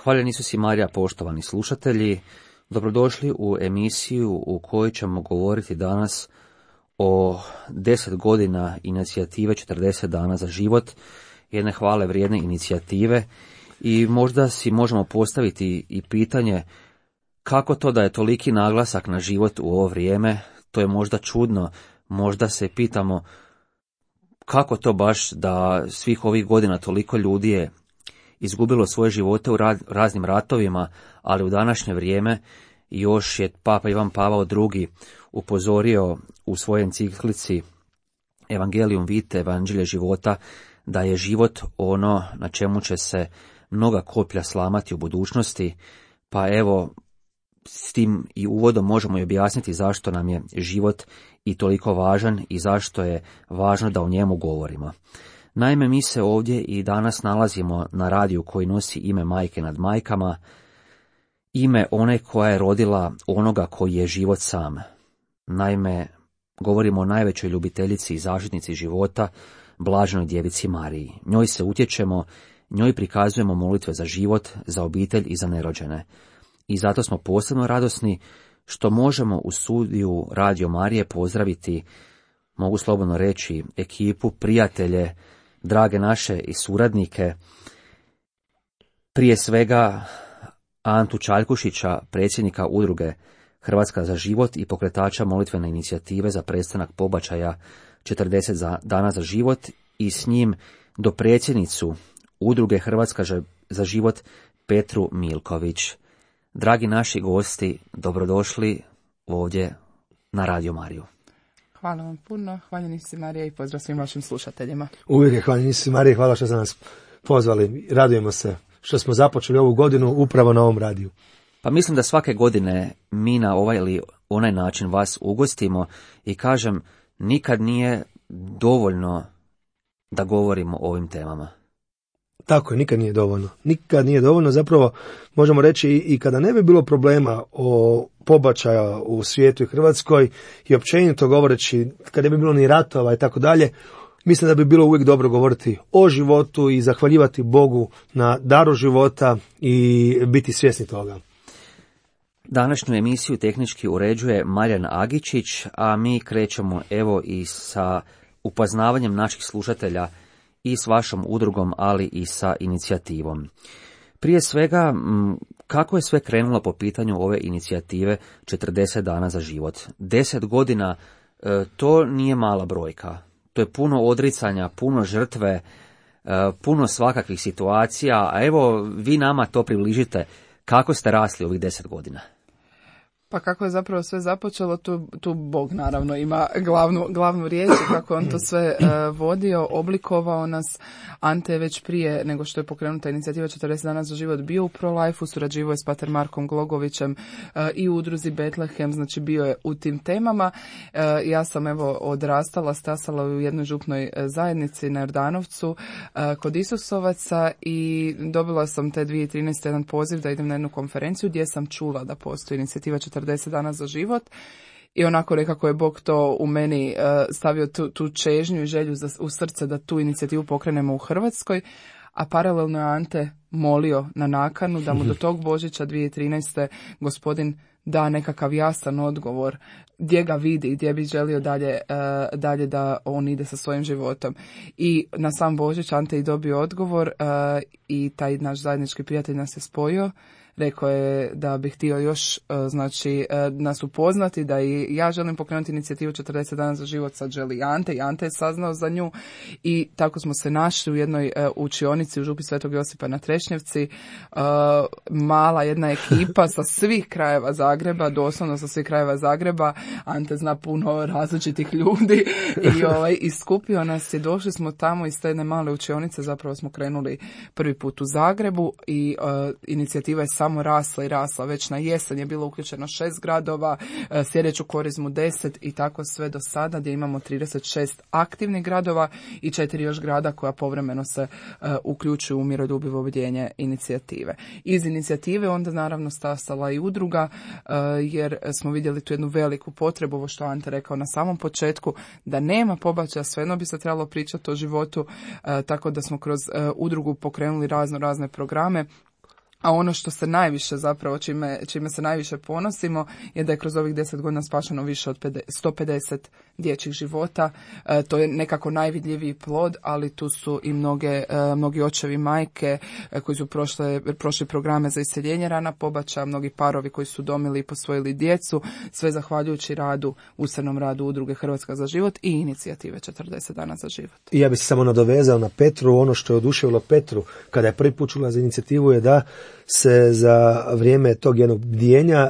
Hvaljen Isus i Marija, poštovani slušatelji, dobrodošli u emisiju u kojoj ćemo govoriti danas o 10 godina inicijative 40 dana za život, jedne hvale vrijedne inicijative, i možda si možemo postaviti i pitanje kako to da je toliki naglasak na život u ovo vrijeme. To je možda čudno, možda se pitamo kako to baš da svih ovih godina toliko ljudi je izgubilo svoje živote u raznim ratovima, ali u današnje vrijeme još je Papa Ivan Pavao II. Upozorio u svojoj enciklici Evangelium Vitae, Evanđelje života, da je život ono na čemu će se mnoga koplja slamati u budućnosti. Pa evo, s tim i uvodom možemo i objasniti zašto nam je život i toliko važan i zašto je važno da o njemu govorimo. Naime, mi se ovdje i danas nalazimo na radiju koji nosi ime Majke nad majkama, ime one koja je rodila onoga koji je život sam. Naime, govorimo o najvećoj ljubiteljici i zaštitnici života, blaženoj djevici Mariji. Njoj se utječemo, njoj prikazujemo molitve za život, za obitelj i za nerođene. I zato smo posebno radosni što možemo u studiju Radio Marije pozdraviti, mogu slobodno reći, ekipu, prijatelje, drage naše i suradnike, prije svega Antu Čaljkušića, predsjednika udruge Hrvatska za život i pokretača molitvene inicijative za prestanak pobačaja 40 dana za život, i s njim dopredsjednicu udruge Hrvatska za život Petru Milković. Dragi naši gosti, dobrodošli ovdje na Radio Mariju. Hvala vam puno, hvaljeni si Marija i pozdrav svim vašim slušateljima. Uvijek je hvaljeni si Marija, hvala što ste nas pozvali. Radujemo se što smo započeli ovu godinu upravo na ovom radiju. Pa mislim da svake godine mi na ovaj ili onaj način vas ugostimo i kažem, nikad nije dovoljno da govorimo o ovim temama. Tako je, nikad nije dovoljno. Nikad nije dovoljno, zapravo možemo reći i kada ne bi bilo problema o pobačaja u svijetu i Hrvatskoj i općenito govoreći, kada ne bi bilo ni ratova i tako dalje, mislim da bi bilo uvijek dobro govoriti o životu i zahvaljivati Bogu na daru života i biti svjesni toga. Današnju emisiju tehnički uređuje Marijan Agičić, a mi krećemo evo i sa upoznavanjem naših slušatelja i s vašom udrugom, ali i sa inicijativom. Prije svega, kako je sve krenulo po pitanju ove inicijative 40 dana za život? 10 godina, to nije mala brojka. To je puno odricanja, puno žrtve, puno svakakvih situacija, a evo vi nama to približite. Kako ste rasli ovih 10 godina? Pa kako je zapravo sve započelo, tu Bog naravno ima glavnu riječ, kako on to sve vodio, oblikovao nas. Ante je već prije nego što je pokrenuta inicijativa 40 dana za život bio u ProLife-u, surađivao je s pater Markom Glogovićem i u udruzi Betlehem, znači bio je u tim temama. Ja sam evo odrastala, stasala u jednoj župnoj zajednici na Jordanovcu kod Isusovaca i dobila sam te 2013. jedan poziv da idem na jednu konferenciju gdje sam čula da postoji inicijativa 40 dana za život i onako nekako je Bog to u meni stavio tu čežnju i želju u srce da tu inicijativu pokrenemo u Hrvatskoj, a paralelno je Ante molio na nakanu da mu do tog Božića 2013. gospodin da nekakav jasan odgovor gdje ga vidi i gdje bi želio dalje da on ide sa svojim životom. I na sam Božić Ante je dobio odgovor i taj naš zajednički prijatelj nas je spojio. Rekao je da bi htio još nas upoznati, da i ja želim pokrenuti inicijativu 40 dana za život, sad želi i Ante je saznao za nju i tako smo se našli u jednoj učionici u župi Svetog Josipa na Trešnjevci, mala jedna ekipa sa svih krajeva Zagreba, doslovno sa svih krajeva Zagreba. Ante zna puno različitih ljudi i skupio nas je, došli smo tamo iz te jedne male učionice, zapravo smo krenuli prvi put u Zagrebu i inicijativa je samo rasla i rasla. Već na jesen je bilo uključeno 6 gradova, sljedeću korizmu 10 i tako sve do sada gdje imamo 36 aktivnih gradova i 4 još grada koja povremeno se uključuju u miroljubivo objedinjenje inicijative. Iz inicijative onda naravno stasala i udruga jer smo vidjeli tu jednu veliku potrebu, ovo što Ante rekao na samom početku, da nema pobačaja, svejedno bi se trebalo pričati o životu, tako da smo kroz udrugu pokrenuli razne programe. A ono što se najviše zapravo, čime se najviše ponosimo, je da je kroz ovih 10 godina spašeno više od 150 dječjih života. To je nekako najvidljiviji plod, ali tu su i mnogi očevi, majke koji su prošli programe za iseljenje rana pobačaja, mnogi parovi koji su domili i posvojili djecu, sve zahvaljujući ustavnom radu Udruge Hrvatska za život i inicijative 40 dana za život. I ja bih se samo nadovezao na Petru. Ono što je oduševilo Petru kada je prvi put čula za inicijativu je da se za vrijeme tog jednog bdijenja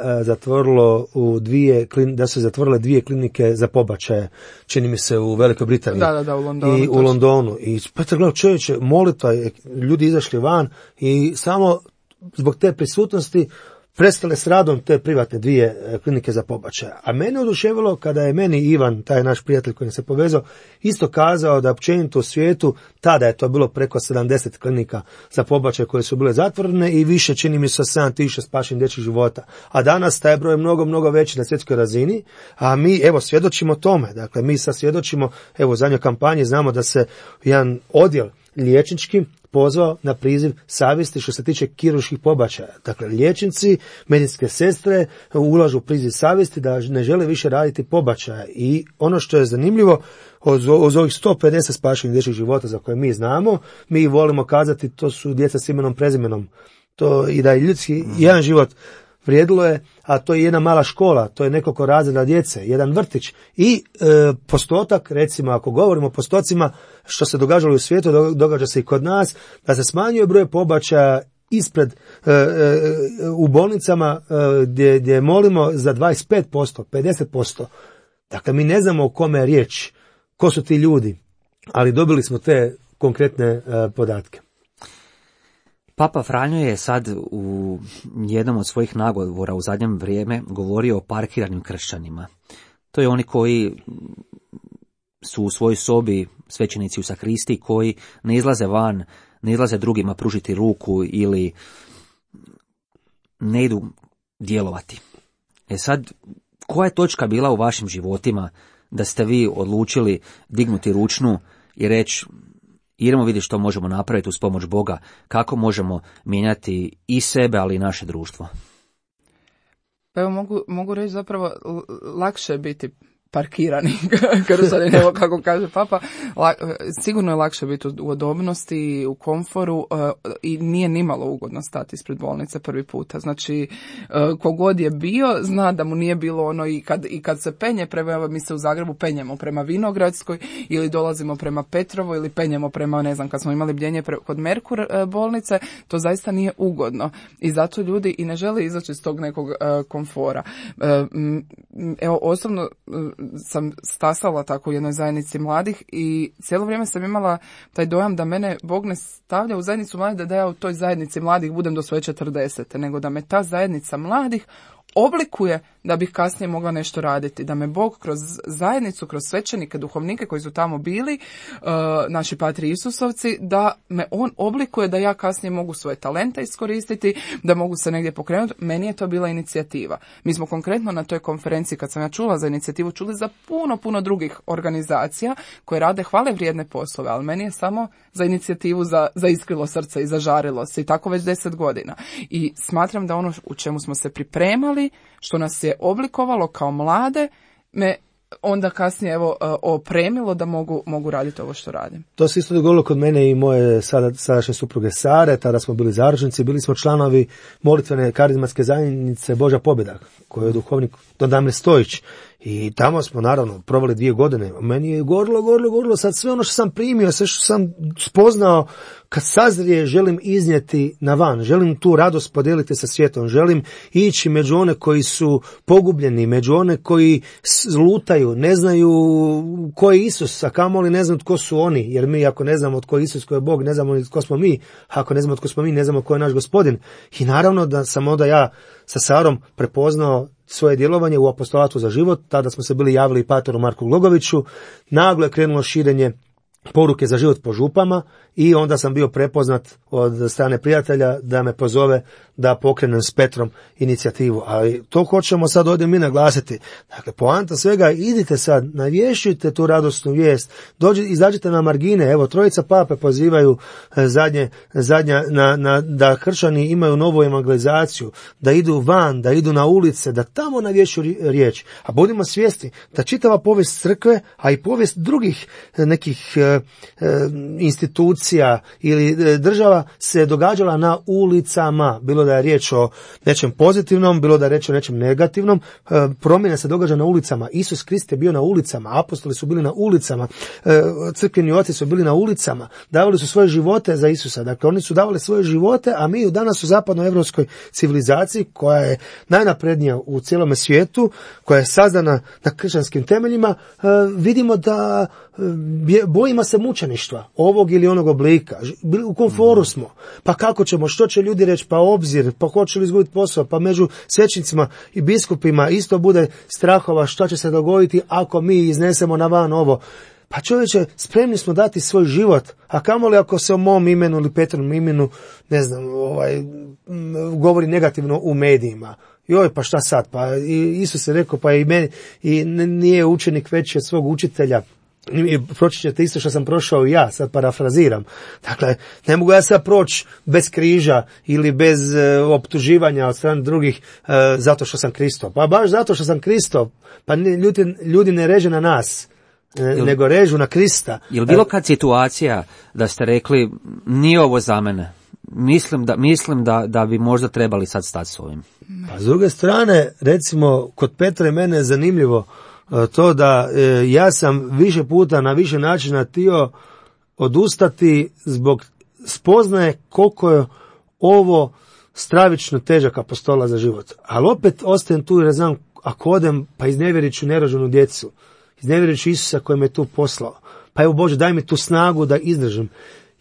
da su se zatvorile 2 klinike za pobačaje, čini mi se u Velikoj Britaniji. Da, u Londonu. I u Londonu. I Petar gledao, čovječe, molitva, ljudi izašli van i samo zbog te prisutnosti prestale s radom te privatne 2 klinike za pobačaje. A mene oduševilo kada je meni Ivan, taj naš prijatelj koji se povezao, isto kazao da općenito u svijetu, tada je to bilo preko 70 klinika za pobačaje koje su bile zatvorene i više, čini mi se, 7.000 spašenih dječjih života. A danas taj broj je mnogo veći na svjetskoj razini, a mi, evo, svjedočimo tome. Dakle, mi sad svjedočimo, evo, u zadnjoj kampanji znamo da se jedan odjel liječnički pozvao na priziv savjesti što se tiče kirurških pobačaja. Dakle, liječnici, medicinske sestre ulažu u priziv savjesti da ne žele više raditi pobačaja. I ono što je zanimljivo, od ovih 150 spašenih dječjih života za koje mi znamo, mi volimo kazati to su djeca s imenom, prezimenom. To i da je ljudski jedan život vrijedilo je, a to je jedna mala škola, to je nekoliko razreda djece, jedan vrtić i postotak, recimo ako govorimo o postocima, što se događalo u svijetu, događa se i kod nas, da se smanjuje broj pobačaja ispred u bolnicama gdje molimo za 25%, 50%. Dakle, mi ne znamo o kome je riječ, ko su ti ljudi, ali dobili smo te konkretne podatke. Papa Franjo je sad u jednom od svojih nagovora u zadnjem vrijeme govorio o parkiranim kršćanima. To je oni koji su u svojoj sobi, svećenici u sakristiji, koji ne izlaze van, ne izlaze drugima pružiti ruku ili ne idu djelovati. Sad, koja je točka bila u vašim životima da ste vi odlučili dignuti ručnu i reći idemo vidjeti što možemo napraviti uz pomoć Boga, kako možemo mijenjati i sebe, ali i naše društvo? Pa evo mogu reći zapravo lakše je biti parkirani kršćanin, evo kako kaže Papa, sigurno je lakše biti u udobnosti, u komforu i nije nimalo ugodno stati ispred bolnice prvi puta. Znači, kogod je bio, zna da mu nije bilo ono i kad se penje prema, mi se u Zagrebu penjemo prema Vinogradskoj ili dolazimo prema Petrovoj ili penjemo prema, ne znam, kad smo imali bdjenje kod Merkur bolnice, to zaista nije ugodno i zato ljudi i ne žele izaći iz tog nekog komfora. Evo, osobno sam stasala tako u jednoj zajednici mladih i cijelo vrijeme sam imala taj dojam da mene Bog ne stavlja u zajednicu mladih da ja u toj zajednici mladih budem do svoje 40. nego da me ta zajednica mladih oblikuje da bih kasnije mogla nešto raditi, da me Bog kroz zajednicu, kroz svećenike, duhovnike koji su tamo bili, naši patri Isusovci, da me on oblikuje da ja kasnije mogu svoje talente iskoristiti, da mogu se negdje pokrenuti. Meni je to bila inicijativa. Mi smo konkretno na toj konferenciji, kad sam ja čula za inicijativu, čuli za puno drugih organizacija koje rade hvale vrijedne poslove, ali meni je samo za inicijativu za iskrilo srce i zažarilo se i tako već 10 godina. I smatram da ono u čemu smo se pripremali, što nas je oblikovalo kao mlade, me onda kasnije opremilo da mogu raditi ovo što radim. To se isto dogodilo kod mene i moje sadašnje supruge Sare, tada smo bili zaručnici, bili smo članovi molitvene karizmatske zajednice Božja pobjeda, koju je duhovnik Don Damir Stojić. I tamo smo naravno proveli 2 godine. Meni je gorilo, sad sve ono što sam primio, sve što sam spoznao, kad sazrije želim iznijeti na van, želim tu radost podijeliti sa svijetom, želim ići među one koji su pogubljeni, među one koji lutaju, ne znaju ko je Isus, a kamoli ne znaju tko su oni, jer mi ako ne znamo tko je Isus, tko je Bog, ne znamo tko smo mi, a ako ne znamo tko smo mi, ne znamo tko je naš Gospodin. I naravno da sam onda ja sa Sarom prepoznao svoje djelovanje u apostolatu za život, tada smo se bili javili i pateru Marku Glogoviću, naglo je krenulo širenje poruke za život po župama i onda sam bio prepoznat od strane prijatelja da me pozove da pokrenem s Petrom inicijativu. Ali to hoćemo sad ovdje mi naglasiti. Dakle, poanta svega, idite sad, navješćujte tu radosnu vijest, izađite na margine, evo, trojica pape pozivaju zadnja da kršćani imaju novu evangelizaciju, da idu van, da idu na ulice, da tamo navješćuju riječ. A budimo svjesni da čitava povijest crkve, a i povijest drugih nekih institucija ili država se događala na ulicama, bilo da je riječ o nečem pozitivnom, bilo da je riječ o nečem negativnom. Promjena se događa na ulicama. Isus Krist je bio na ulicama, apostoli su bili na ulicama, crkveni oci su bili na ulicama, davali su svoje živote za Isusa. Dakle, oni su davali svoje živote, a mi danas u zapadnoevropskoj civilizaciji, koja je najnaprednija u cijelome svijetu, koja je sazdana na kršćanskim temeljima, vidimo da bojimo se mučeništva ovog ili onog oblika. U komforu smo. Pa kako ćemo, što će ljudi reći, pa obzir, pa hoće li izgubiti posao, pa među svećnicima i biskupima isto bude strahova šta će se dogoditi ako mi iznesemo na van ovo. Pa čovječe, spremni smo dati svoj život, a kamoli ako se o mom imenu ili Petrovom imenu, ne znam, govori negativno u medijima. Joj, pa šta sad? Pa Isus je rekao, pa i meni, i nije učenik veći od svog učitelja. Proći ćete isto što sam prošao i ja, sad parafraziram. Dakle, ne mogu ja sad proći bez križa ili bez optuživanja od strane drugih zato što sam Kristov. Pa baš zato što sam Kristov, pa ljudi ne reže na nas, nego režu na Krista. Je li bilo kad situacija da ste rekli, nije ovo za mene? Mislim da bi možda trebali sad stati s ovim. Pa s druge strane, recimo, kod Petra i mene je zanimljivo to da ja sam više puta na više načina htio odustati zbog spoznaje koliko je ovo stravično težak apostola za život. Ali opet ostajem tu jer znam, ako odem, pa iznevjerit ću nerođenu djecu, iznevjerit ću Isusa koji me tu poslao. Pa evo Bože, daj mi tu snagu da izdržim.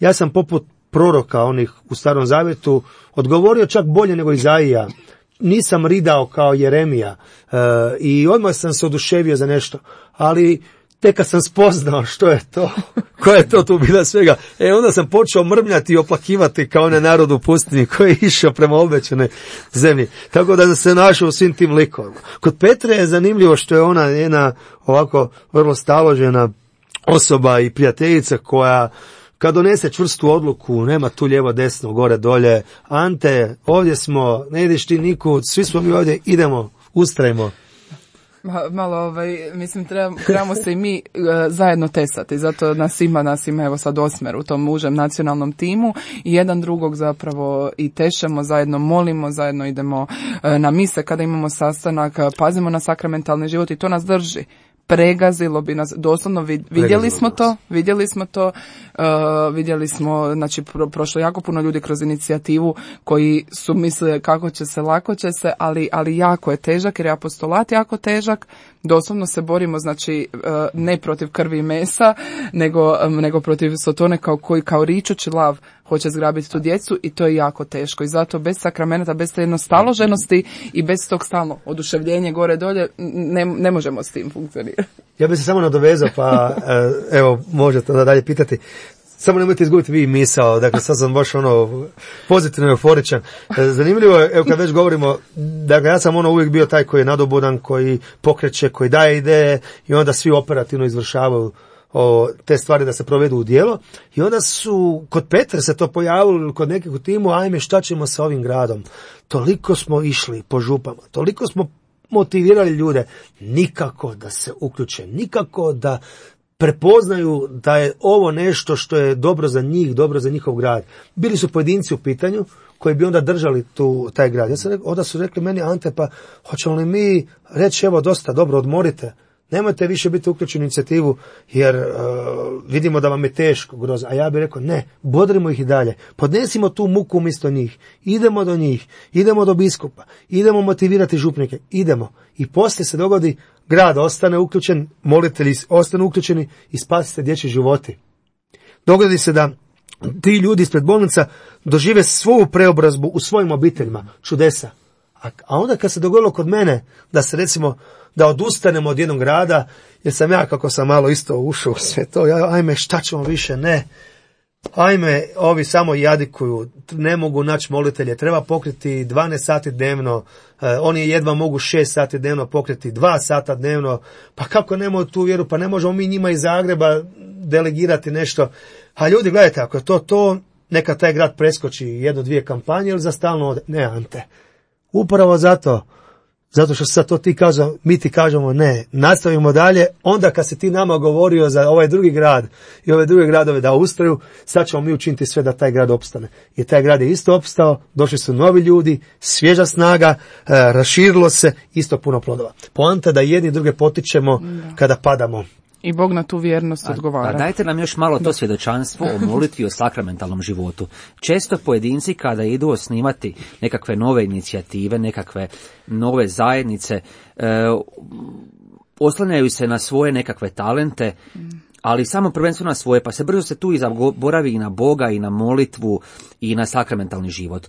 Ja sam poput proroka onih u Starom Zavjetu odgovorio čak bolje nego Izaija. Nisam ridao kao Jeremija i odmah sam se oduševio za nešto, ali tek kad sam spoznao što je to, koja je to tu bila svega, onda sam počeo mrmljati i oplakivati kao onaj narod u pustinji koji je išao prema obećanoj zemlji. Tako da se našao u svim tim likovima. Kod Petre je zanimljivo što je ona jedna ovako vrlo staložena osoba i prijateljica koja kad donese čvrstu odluku, nema tu lijevo, desno, gore, dolje, Ante, ovdje smo, ne ideš ti nikud, svi smo mi ovdje, idemo, ustrajmo. Malo, mislim, trebamo se i mi zajedno tesati, zato nas ima evo sad 8 u tom užem nacionalnom timu i jedan drugog zapravo i tešemo, zajedno molimo, zajedno idemo na mise kada imamo sastanak, pazimo na sakramentalni život i to nas drži. Pregazilo bi nas, doslovno vidjeli smo, znači prošlo jako puno ljudi kroz inicijativu koji su mislili kako će se, lako će se, ali jako je težak jer je apostolat jako težak, doslovno se borimo, znači ne protiv krvi i mesa, nego protiv Sotone koji kao ričući lav hoće zgrabiti tu djecu i to je jako teško i zato bez sakramenata, bez te jednostaloženosti i bez tog stalno oduševljenje gore dolje ne možemo s tim funkcionirati. Ja bih se samo nadovezao, pa evo možete onda dalje pitati. Samo nemojte izgubiti vi misao, dakle sad sam baš pozitivno euforičan. Zanimljivo je, evo kad već govorimo, dakle ja sam uvijek bio taj koji je nadobudan, koji pokreće, koji daje ideje i onda svi operativno izvršavaju te stvari da se provedu u djelo. I onda su, kod Petra se to pojavilo, kod nekih u timu, ajme šta ćemo sa ovim gradom. Toliko smo išli po župama, toliko smo motivirali ljude, nikako da se uključe, nikako da prepoznaju da je ovo nešto što je dobro za njih, dobro za njihov grad. Bili su pojedinci u pitanju koji bi onda držali taj grad. Onda su rekli meni, Ante, pa hoćemo li mi reći, evo dosta, dobro, odmorite, nemojte više biti uključeni u inicijativu jer vidimo da vam je teško, grozno. A ja bih rekao, ne, bodrimo ih i dalje, podnesimo tu muku umjesto njih, idemo do njih, idemo do biskupa, idemo motivirati župnike, idemo. I poslije se dogodi, grad ostane uključen, molitelji ostanu uključeni i spasite dječji životi. Dogodi se da ti ljudi ispred bolnica dožive svoju preobrazbu u svojim obiteljima, čudesa. A onda kad se dogodilo kod mene da se recimo, da odustanemo od jednog rada, jer sam ja, kako sam malo isto ušao u sve to, ajme šta ćemo više, ne. Ajme, ovi samo jadikuju, ne mogu naći molitelje, treba pokriti 12 sati dnevno, oni jedva mogu 6 sati dnevno pokriti, 2 sata dnevno, pa kako nemaju tu vjeru, pa ne možemo mi njima iz Zagreba delegirati nešto. A ljudi, gledajte, ako je to, neka taj grad preskoči 1-2 kampanje ili za stalno ode. Ne, Ante, upravo zato što sad to mi ti kažemo ne, nastavimo dalje, onda kad si ti nama govorio za ovaj drugi grad i ove druge gradove da ustraju, sad ćemo mi učiniti sve da taj grad opstane. I taj grad je isto opstao, došli su novi ljudi, svježa snaga, raširilo se, isto puno plodova. Poanta da jedni druge potičemo kada padamo. I Bog na tu vjernost odgovara. A dajte nam još malo to svjedočanstvo o molitvi, o sakramentalnom životu. Često pojedinci kada idu osnivati nekakve nove inicijative, nekakve nove zajednice, oslanjaju se na svoje nekakve talente, ali samo prvenstveno na svoje, pa se brzo se tu i zaboravi i na Boga, i na molitvu, i na sakramentalni život.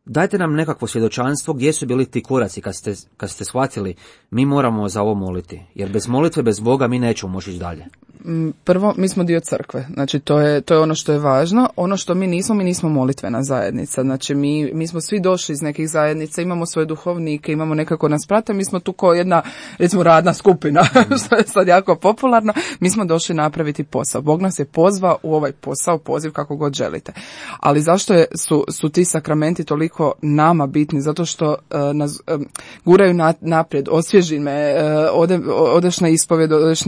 Dajte nam nekakvo svjedočanstvo gdje su bili ti koraci kad ste shvatili mi moramo za ovo moliti, jer bez molitve, bez Boga mi nećemo moći ići dalje. Prvo, mi smo dio crkve, znači to je ono što je važno. Ono što mi nismo molitvena zajednica, znači mi smo svi došli iz nekih zajednica, imamo svoje duhovnike, imamo nekako nas prate, mi smo tu kao jedna, recimo, radna skupina, što je sad jako popularno, mi smo došli napraviti posao. Bog nas je pozvao u ovaj posao, poziv kako god želite. Ali zašto su ti sakramenti toliko nama bitni? Zato što nas guraju naprijed, osvježi me, odeš na ispovjed, odeš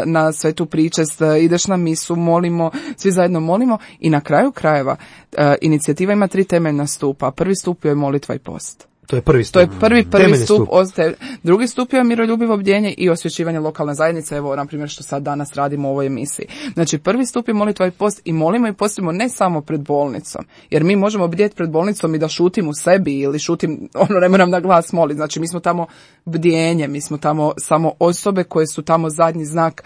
na svetu pričest, ideš na misu, molimo, svi zajedno molimo i na kraju krajeva inicijativa ima 3 temeljna stupa. Prvi stup je molitva i post. To je prvi stup. To je prvi stup. Drugi stup je miroljubivo bdjenje i osvješćivanje lokalne zajednice, evo, na primjer, što sad danas radimo u ovoj emisiji. Znači, prvi stup je molitva i post i molimo i postimo ne samo pred bolnicom, jer mi možemo bdjeti pred bolnicom i da šutim u sebi ili šutim, ne moram na glas moliti. Znači, mi smo tamo bdjenje, mi smo tamo samo osobe koje su tamo zadnji znak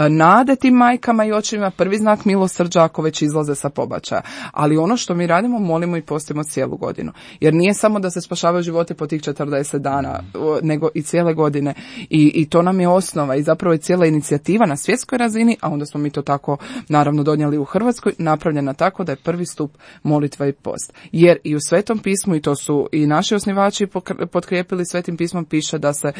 nade tim majkama i očevima, prvi znak milosrđa ako već izlaze sa pobačaja. Ali ono što mi radimo, molimo i postimo cijelu godinu. Jer nije samo da se spašavaju živote po tih 40 dana, nego i cijele godine. I to nam je osnova i zapravo je cijela inicijativa na svjetskoj razini, a onda smo mi to tako naravno donijeli u Hrvatskoj, napravljena tako da je prvi stup molitva i post. Jer i u Svetom pismu, i to su i naši osnivači potkrijepili Svetim pismom, piše da se,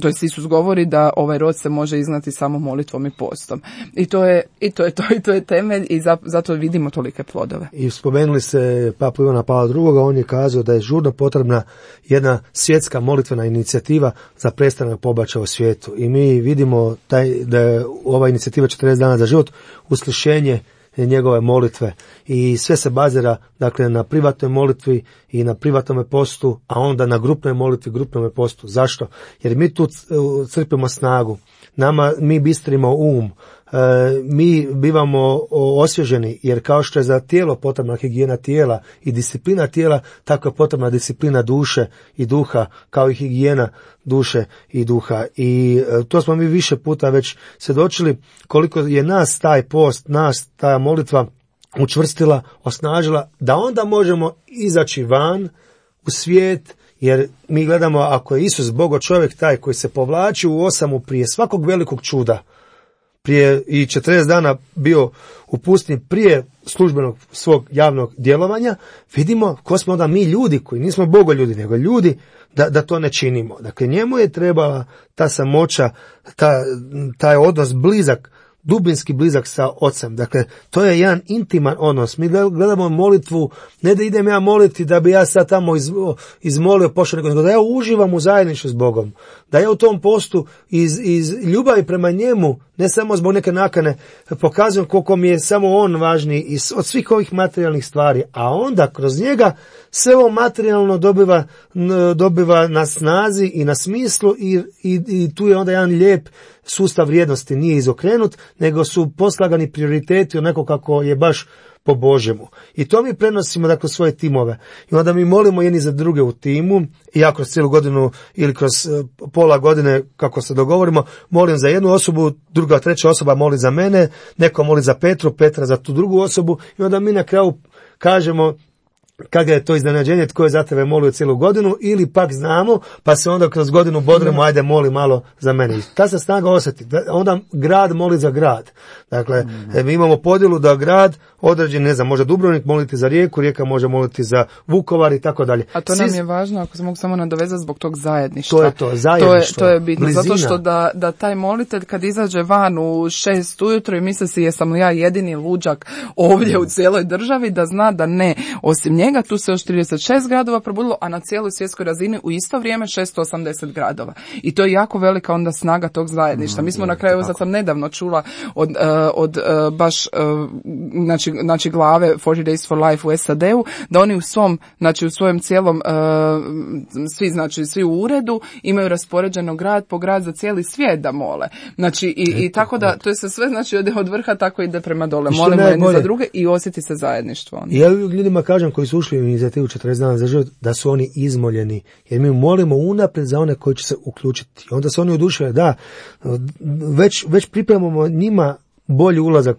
to jest Isus govori da ovaj rod se može izgnati samo molitvom i postom. I to je temelj i zato vidimo tolike plodove. I spomenuli se Papu Ivana Pavla II, on je kazao da je žurno potrebna jedna svjetska molitvena inicijativa za prestanak pobačaja u svijetu. I mi vidimo da je ova inicijativa 40 dana za život uslišenje njegove molitve i sve se bazira, dakle, na privatnoj molitvi i na privatnom postu, a onda na grupnoj molitvi, grupnom postu. Zašto? Jer mi tu crpimo snagu. Mi bistrimo um, mi bivamo osvježeni, jer kao što je za tijelo potrebna higijena tijela i disciplina tijela, tako je potrebna disciplina duše i duha, kao i higijena duše i duha. I to smo mi više puta već svjedočili koliko je nas taj post, nas ta molitva učvrstila, osnažila, da onda možemo izaći van u svijet. Jer mi gledamo, ako je Isus Bogo čovjek taj koji se povlači u osamu prije svakog velikog čuda, prije i 40 dana bio u pustinji prije službenog svog javnog djelovanja, vidimo ko smo onda mi ljudi koji nismo Bogo ljudi, nego ljudi da to ne činimo. Dakle, njemu je trebala ta samoća, taj odnos blizak, dubinski blizak sa ocem. Dakle, to je jedan intiman odnos. Mi gledamo molitvu, ne da idem ja moliti da bi ja sad tamo izmolio pošao, nego da ja uživam u zajedništvu s Bogom. Da ja u tom postu iz ljubavi prema njemu, ne samo zbog neke nakane, pokazujem koliko mi je samo on važniji od svih ovih materijalnih stvari, a onda kroz njega sve ovo materijalno dobiva na snazi i na smislu i tu je onda jedan lijep sustav vrijednosti, nije izokrenut, nego su poslagani prioriteti onako kako je baš po Božjemu. I to mi prenosimo, dakle, svoje timove. I onda mi molimo jedni za druge u timu, i ja kroz cijelu godinu ili kroz pola godine, kako se dogovorimo, molim za jednu osobu, druga, treća osoba moli za mene, neko moli za Petra za tu drugu osobu, i onda mi na kraju kažemo kad je to iznenađenje, tko je za tebe molio cijelu godinu, ili pak znamo, pa se onda kroz godinu bodremo, ajde moli malo za mene. Ta se snaga osjeti. Onda grad moli za grad. Dakle, mi imamo podjelu da grad određen, ne znam, može Dubrovnik moliti za Rijeku, Rijeka može moliti za Vukovar i tako dalje. A to nam je važno, ako se mogu samo nadovezati, zbog tog zajedništva. To je to, zajedništvo. To je bitno, blizina. zato što da taj molitelj kad izađe van u 6 ujutro i misli si jesam li ja jedini luđak ovdje u cijeloj državi, da zna da ne, osim njega tu se još 36 gradova probudilo, a na cijeloj svjetskoj razini u isto vrijeme 680 gradova. I to je jako velika onda snaga tog zajedništva. Mi smo na kraju, sad sam nedavno čula od baš znači glave 40 Days for Life u SAD-u, da oni u svom, znači u svojem cijelom svi u uredu imaju raspoređeno grad po grad za cijeli svijet da mole. Znači i tako da to je se sve, znači od vrha tako ide prema dole. Molimo jedni za druge i osjeti se zajedništvo. I ja ljudima kažem koji su ušli u inicijativu 40 dana za život da su oni izmoljeni, jer mi molimo unaprijed za one koji će se uključiti. Onda se oni oduševljaju, da, već pripremamo njima bolji ulazak,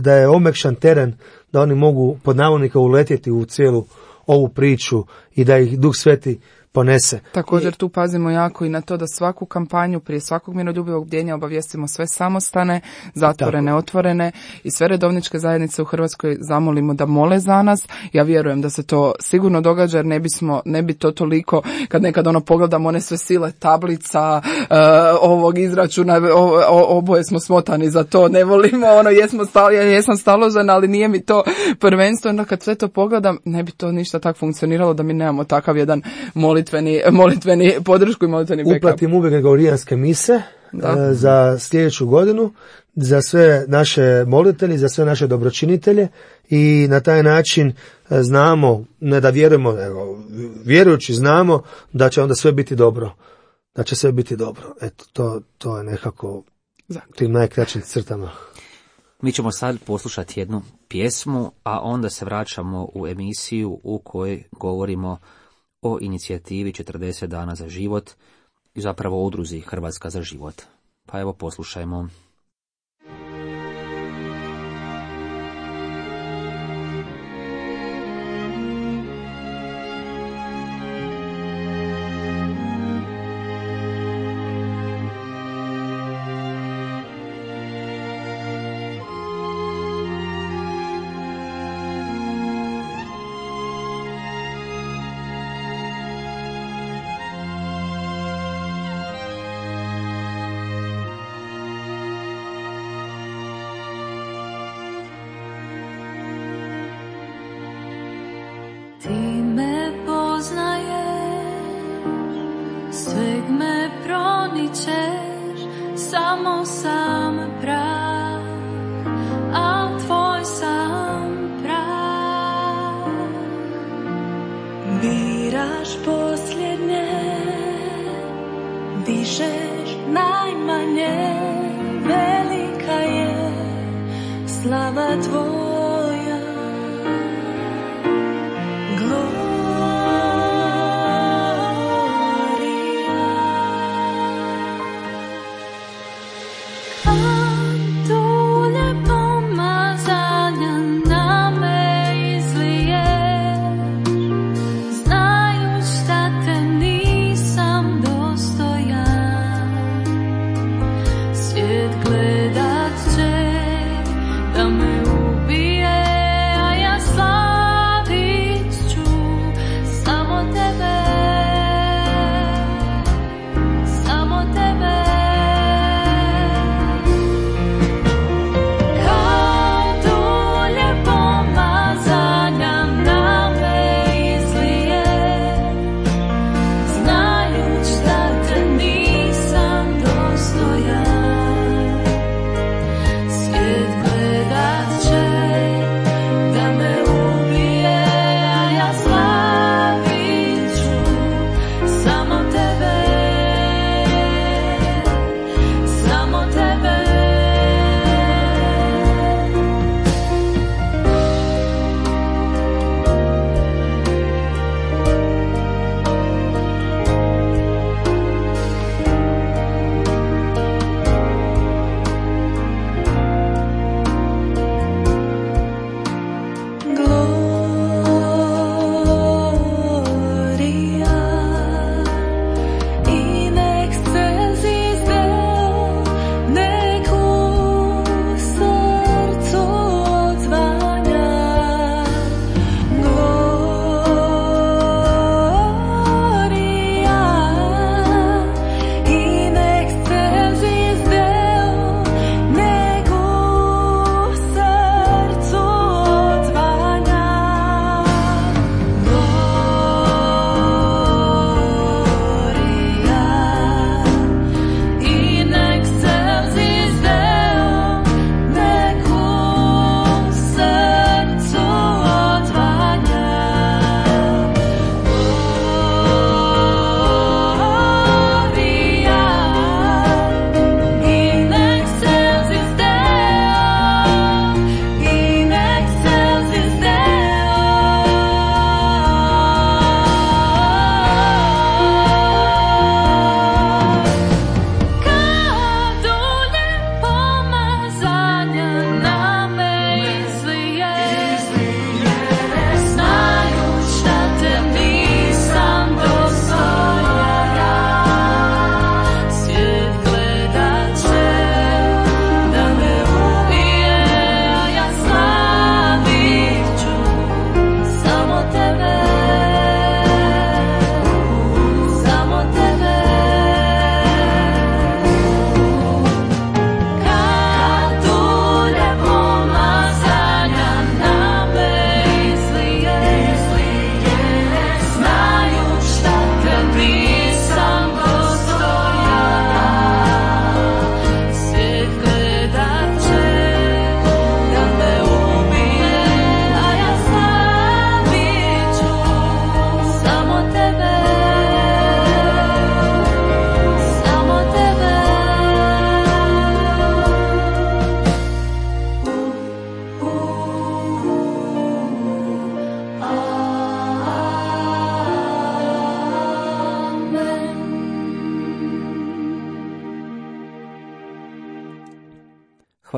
da je omekšan teren, da oni mogu pod navodnika uletjeti u cijelu ovu priču i da ih Duh Sveti ponese. Također tu pazimo jako i na to da svaku kampanju prije svakog miroljubivog bdjenja obavijestimo sve samostane, zatvorene, otvorene i sve redovničke zajednice u Hrvatskoj zamolimo da mole za nas. Ja vjerujem da se to sigurno događa, jer ne bi to toliko, kad nekad pogledamo one sve sile tablica, ovog izračuna, oboje smo smotani za to, ne volimo, jesam staložen, ali nije mi to prvenstveno. Kad sve to pogledam, ne bi to ništa tako funkcioniralo da mi nemamo takav jedan molitveni podršku i molitveni backup. Uplatim uvijek gregorijanske mise za sljedeću godinu, za sve naše molitelje, za sve naše dobročinitelje, i na taj način znamo, ne da vjerujemo, nego vjerujući znamo da će onda sve biti dobro. Da će sve biti dobro. Eto, to je nekako tim najkraćim crtama. Mi ćemo sad poslušati jednu pjesmu, a onda se vraćamo u emisiju u kojoj govorimo o inicijativi 40 dana za život i zapravo o udruzi Hrvatska za život. Pa evo poslušajmo. Samo sam prav, a tvoj sam prav. Biraš posljednje, dišeš najmanje, velika je slava tvoja.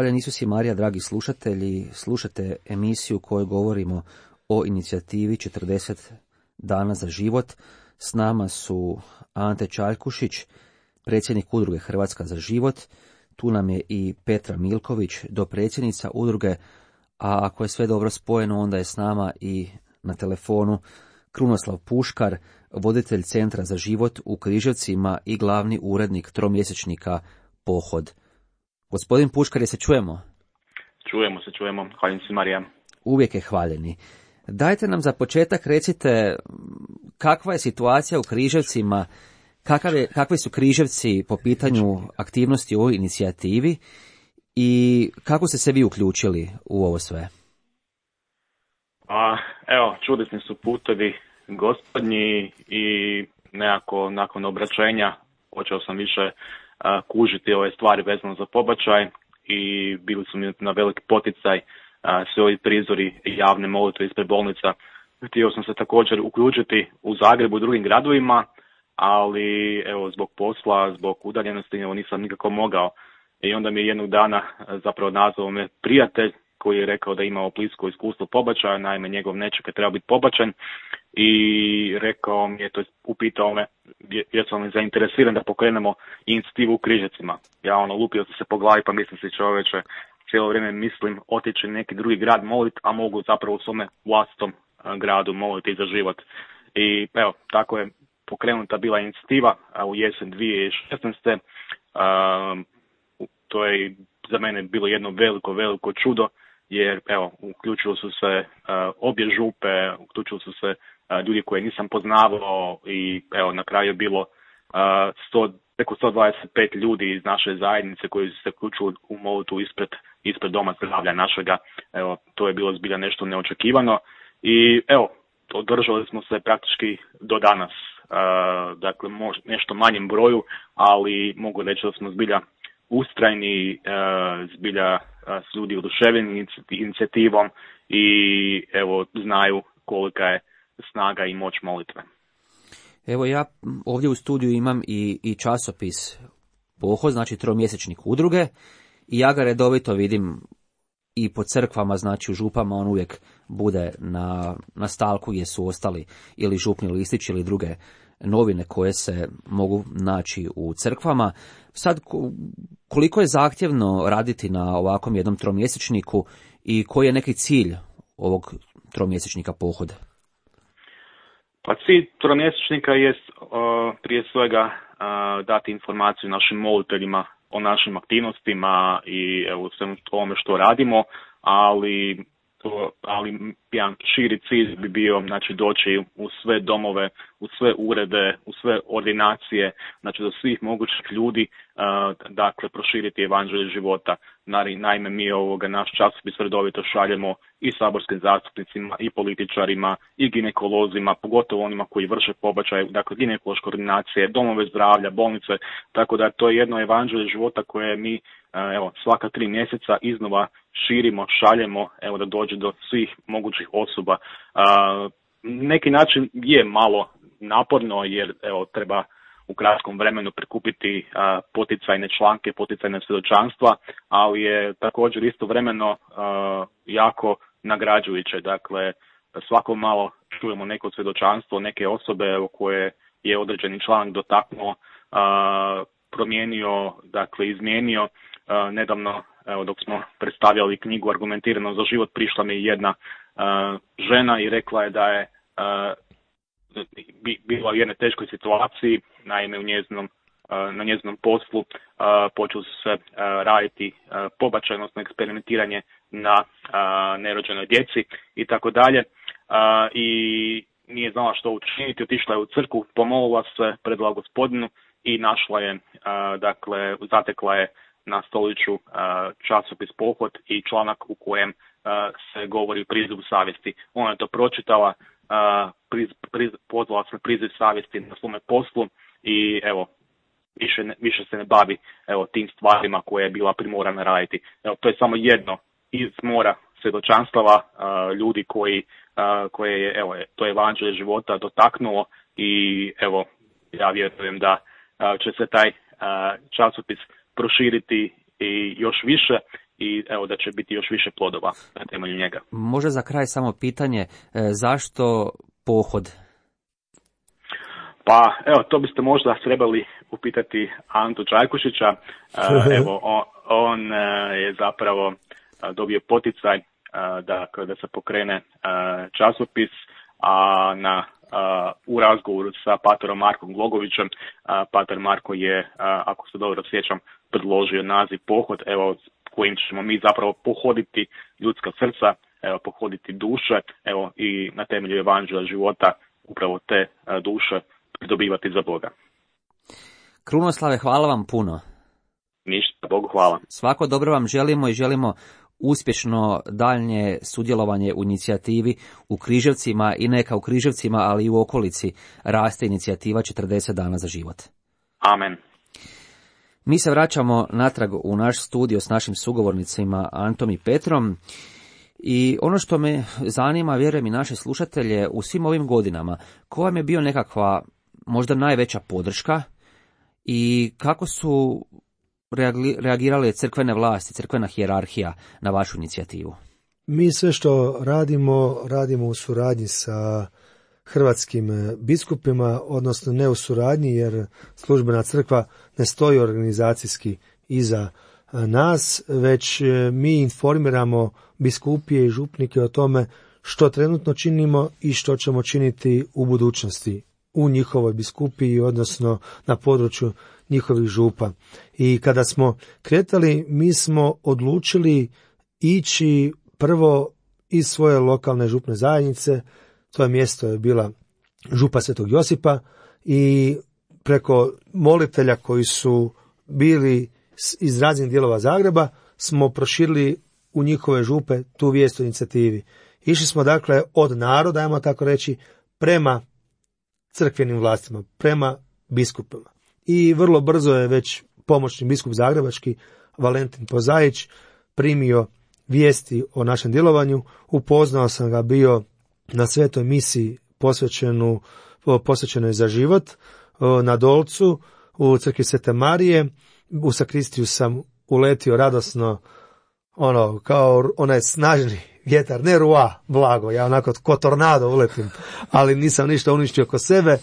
Hvaljen Isus i Marija, dragi slušatelji, slušate emisiju u kojoj govorimo o inicijativi 40 dana za život. S nama su Ante Čaljkušić, predsjednik udruge Hrvatska za život, tu nam je i Petra Milković, dopredsjednica udruge, a ako je sve dobro spojeno, onda je s nama i na telefonu Krunoslav Puškar, voditelj Centra za život u Križevcima i glavni urednik tromjesečnika Pohod. Gospodin Puškar, je se čujemo? Čujemo. Hvaljen si Marija. Uvijek je hvaljeni. Dajte nam za početak recite kakva je situacija u Križevcima, kakvi su Križevci po pitanju aktivnosti u ovoj inicijativi i kako ste se vi uključili u ovo sve? Čudesni su putevi gospodnji i nekako nakon obraćenja počeo sam više kužiti ove stvari vezano za pobačaj i bili su mi na veliki poticaj sve ovi prizori javne molitve ispred bolnica. Htio sam se također uključiti u Zagrebu i drugim gradovima, ali zbog posla, zbog udaljenosti nisam nikako mogao. I onda mi je jednog dana zapravo nazvao me prijatelj koji je rekao da imao blisko iskustvo pobačaja, naime njegov nećak je trebao biti pobačen i rekao mi je, upitao me jesam li zainteresiran da pokrenemo inicijativu u Križevcima. Ja lupio sam se po glavi pa mislim si čovječe, cijelo vrijeme mislim otići neki drugi grad moliti, a mogu zapravo u svome vlastitom gradu moliti za život. I tako je pokrenuta bila inicijativa u jesen 2016. To je za mene bilo jedno veliko čudo, jer uključili su se obje župe, uključili su se ljudi koje nisam poznavao i na kraju je bilo preko 125 ljudi iz naše zajednice koji su se uključili u molitvu ispred doma zdravlja našega. To je bilo zbilja nešto neočekivano i održali smo se praktički do danas. Dakle, nešto manjem broju, ali mogu reći da smo zbilja ustrajni, zbilja su ljudi oduševljeni inicijativom i znaju kolika je snaga i moć molitve. Evo ja ovdje u studiju imam i časopis Pohod, znači tromjesečnik udruge, i ja ga redovito vidim i po crkvama, znači u župama on uvijek bude na stalku gdje su ostali ili župni listići ili druge novine koje se mogu naći u crkvama. Sad, koliko je zahtjevno raditi na ovakvom jednom tromjesečniku i koji je neki cilj ovog tromjesečnika Pohoda? Pa cilj tromjesečnika je prije svega dati informaciju našim moliteljima o našim aktivnostima i svemu ovome što radimo, ali jedan širi cilj bi bio doći u sve domove, u sve urede, u sve ordinacije, do svih mogućih ljudi, proširiti evanđelje života. Naime, mi naš časopis redovito šaljemo i saborskim zastupnicima, i političarima, i ginekolozima, pogotovo onima koji vrše pobačaj, ginekološke ordinacije, domove zdravlja, bolnice, tako da to je jedno evanđelje života koje mi svaka 3 mjeseca iznova širimo, šaljemo, da dođe do svih mogućih osoba. Neki način je malo naporno jer treba u kratkom vremenu prikupiti poticajne članke, poticajne svjedočanstva, ali je također istovremeno jako nagrađujuće. Dakle, svako malo čujemo neko svjedočanstvo, neke osobe koje je određeni članak dotaknuo, promijenio, izmijenio. Nedavno, dok smo predstavljali knjigu Argumentirano za život, prišla mi jedna žena i rekla je da je bila u jednoj teškoj situaciji, naime na njezinom poslu počeli su se raditi pobačaj, odnosno eksperimentiranje na nerođenoj djeci i tako dalje, i nije znala što učiniti, otišla je u crkvu, pomolila se, predala Gospodinu i našla je, zatekla je na stoliću časopis Pohod i članak u kojem se govori o prizivu savjesti. Ona je to pročitala, pozvala se na priziv savjesti na svome poslu i više se ne bavi tim stvarima koje je bila primorana raditi. To je samo jedno iz mora svjedočanstava ljudi koje je to evanđelje života dotaknulo i ja vjerujem da će se taj časopis proširiti i još više i evo da će biti još više plodova na temelju njega. Možda za kraj samo pitanje, zašto pohod? Pa evo, to biste možda trebali upitati Antu Čajkušića. Evo, on je zapravo dobio poticaj da se pokrene časopis, a u razgovoru sa paterom Markom Glogovićem, pater Marko je, ako se dobro sjećam, predložio naziv pohod, evo, kojim ćemo mi zapravo pohoditi ljudska srca, evo, pohoditi duše, evo, i na temelju evanđelja života upravo te duše pridobivati za Boga. Krunoslave, hvala vam puno. Ništa, Bogu hvala. Svako dobro vam želimo i želimo uspješno daljnje sudjelovanje u inicijativi u Križevcima i neka u Križevcima, ali i u okolici raste inicijativa 40 dana za život. Amen. Mi se vraćamo natrag u naš studio s našim sugovornicima Antom i Petrom i ono što me zanima, vjerujem i naše slušatelje, u svim ovim godinama, koja vam je bio nekakva možda najveća podrška i kako su reagirale crkvene vlasti, crkvena hijerarhija na vašu inicijativu? Mi sve što radimo u suradnji sa hrvatskim biskupima, odnosno ne u suradnji, jer službena crkva ne stoji organizacijski iza nas, već mi informiramo biskupije i župnike o tome što trenutno činimo i što ćemo činiti u budućnosti u njihovoj biskupiji, odnosno na području njihovih župa. I kada smo kretali, mi smo odlučili ići prvo iz svoje lokalne župne zajednice, to je mjesto je bila župa Svetog Josipa, i preko molitelja koji su bili iz raznih dijelova Zagreba smo proširili u njihove župe tu vijest o inicijativi. Išli smo dakle od naroda, ajmo tako reći, prema crkvenim vlastima, prema biskupima. I vrlo brzo je već pomoćni biskup zagrebački Valentin Pozaić primio vijesti o našem djelovanju. Upoznao sam ga bio na svetoj misiji posvećenoj za život na Dolcu u crkvi Svete Marije. U sakristiju sam uletio radosno, kao onaj snažni vjetar, ne rua, blago, ja onako ko tornado uletim, ali nisam ništa uništio oko sebe.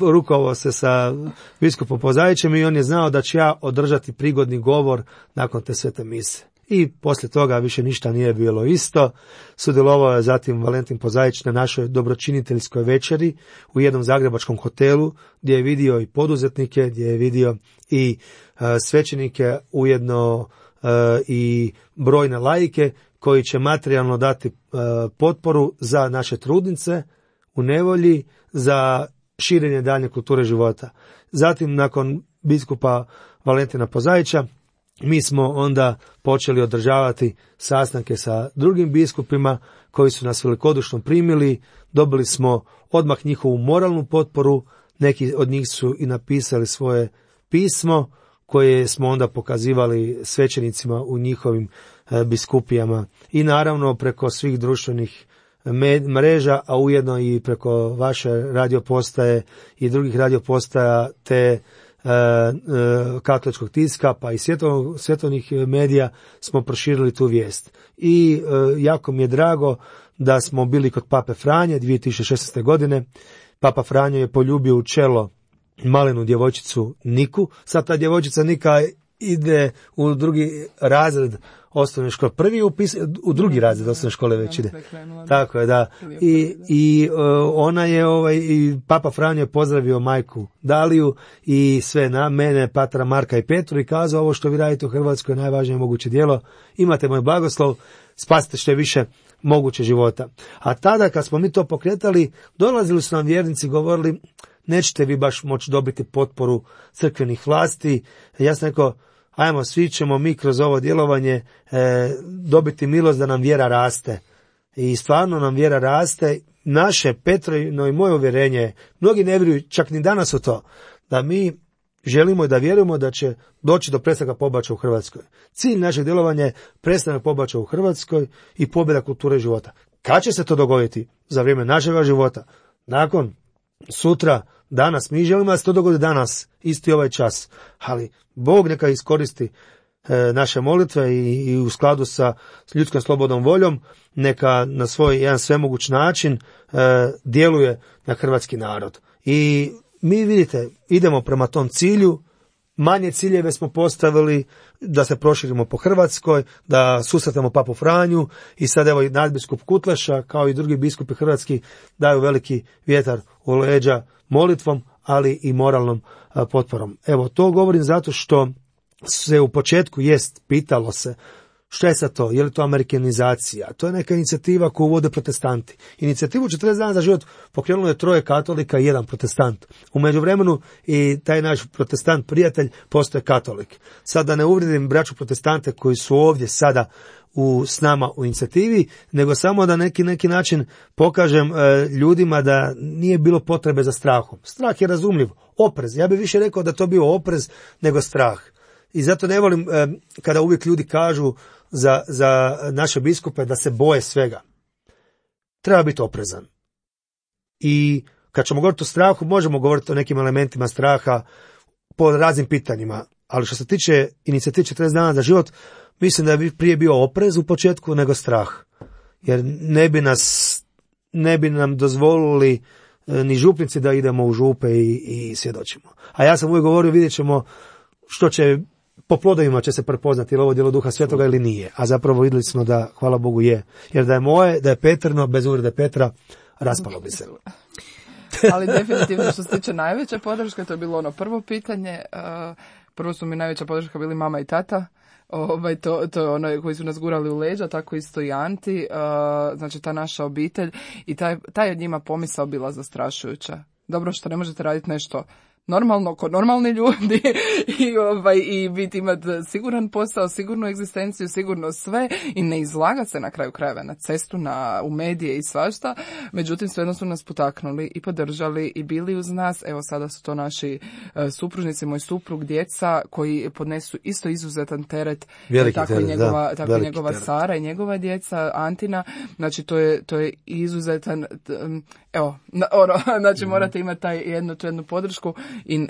Rukovao se sa biskupom Pozaićem i on je znao da ću ja održati prigodni govor nakon te svete mise. I poslije toga više ništa nije bilo isto. Sudjelovao je zatim Valentin Pozaić na našoj dobročiniteljskoj večeri u jednom zagrebačkom hotelu, gdje je vidio i poduzetnike, gdje je vidio i svećenike, ujedno i brojne laike koji će materijalno dati potporu za naše trudnice u nevolji, za širenje daljnje kulture života. Zatim, nakon biskupa Valentina Pozaića, mi smo onda počeli održavati sastanke sa drugim biskupima koji su nas velikodušno primili. Dobili smo odmah njihovu moralnu potporu, neki od njih su i napisali svoje pismo koje smo onda pokazivali svećenicima u njihovim biskupijama. I naravno preko svih društvenih mreža, a ujedno i preko vaše radiopostaje i drugih radiopostaja te katoličkog tiska pa i svjetovnih medija smo proširili tu vijest. I jako mi je drago da smo bili kod Pape Franje 2016. godine. Papa Franjo je poljubio u čelo malenu djevojčicu Niku. Sad ta djevojčica Nika ide u drugi razred osnovne škole. Prvi u drugi razred osnovne škole već ide. Tako je, da. I ona je, i Papa Franjo je pozdravio majku Daliju i sve na mene, patra Marka i Petru, i kazao: ovo što vi radite u Hrvatskoj je najvažnije moguće djelo. Imate moj blagoslov, spasite što je više moguće života. A tada kad smo mi to pokretali, dolazili su nam vjernici, govorili: nećete vi baš moći dobiti potporu crkvenih vlasti. Ja sam rekao: ajmo, svi ćemo mi kroz ovo djelovanje dobiti milost da nam vjera raste. I stvarno nam vjera raste. Naše, Petrino i moje uvjerenje, mnogi ne vjeruju čak ni danas u to, da mi želimo i da vjerujemo da će doći do prestanka pobačaja u Hrvatskoj. Cilj našeg djelovanja je prestanak pobačaja u Hrvatskoj i pobjeda kulture života. Kad će se to dogoditi? Za vrijeme našega života. Nakon, sutra, danas. Mi želimo da se to dogodi danas, isti ovaj čas. Ali Bog neka iskoristi naše molitve i u skladu sa ljudskom slobodnom voljom neka na svoj jedan svemoguć način djeluje na hrvatski narod. I mi vidite, idemo prema tom cilju, manje ciljeve smo postavili da se proširimo po Hrvatskoj, da susretamo Papu Franju i sad evo i nadbiskup Kutleša kao i drugi biskupi hrvatski daju veliki vjetar u leđa molitvom, ali i moralnom potporom. Evo, to govorim zato što se u početku pitalo se što je sad to, je li to amerikanizacija? To je neka inicijativa koju vode protestanti. Inicijativu 40 dana za život pokrenulo je 3 katolika i 1 protestant. U međuvremenu i taj naš protestant prijatelj postaje katolik. Sad da ne uvrijedim braću protestante koji su ovdje sada s nama u inicijativi, nego samo da neki način pokažem ljudima da nije bilo potrebe za strahom. Strah je razumljiv, oprez. Ja bih više rekao da to bio oprez nego strah. I zato ne volim kada uvijek ljudi kažu za naše biskupe da se boje svega. Treba biti oprezan. I kad ćemo govoriti o strahu, možemo govoriti o nekim elementima straha po raznim pitanjima. Ali što se tiče inicijative 40 dana za život, mislim da bi prije bio oprez u početku nego strah. Jer ne bi nam dozvolili ni župnici da idemo u župe i svjedočimo. A ja sam uvijek govorio, vidjet ćemo što će, po plodovima će se prepoznati ili ovo djelo Duha Svetoga ili nije. A zapravo vidjeli smo da, hvala Bogu, je. Jer da je moje, da je Petrino, bez uvrede Petra, raspalo bi se. Ali definitivno što se tiče najveće podrške, to je bilo ono prvo pitanje. Prvo su mi najveća podrška bili mama i tata. To je ono koji su nas gurali u leđa, tako isto i Anti, znači ta naša obitelj i taj od njima pomisao bila zastrašujuća. Dobro što ne možete raditi nešto normalno, ko normalni ljudi i biti imati siguran posao, sigurnu egzistenciju, sigurno sve i ne izlagati se na kraju krajeva na cestu, u medije i svašta. Međutim, svejedno su nas potaknuli i podržali i bili uz nas. Evo sada su to naši supružnici, moj suprug, djeca koji podnesu isto izuzetan teret. Tako i njegova Sara i njegova djeca, Antina. Znači to je izuzetan, znači morate imati tu jednu podršku i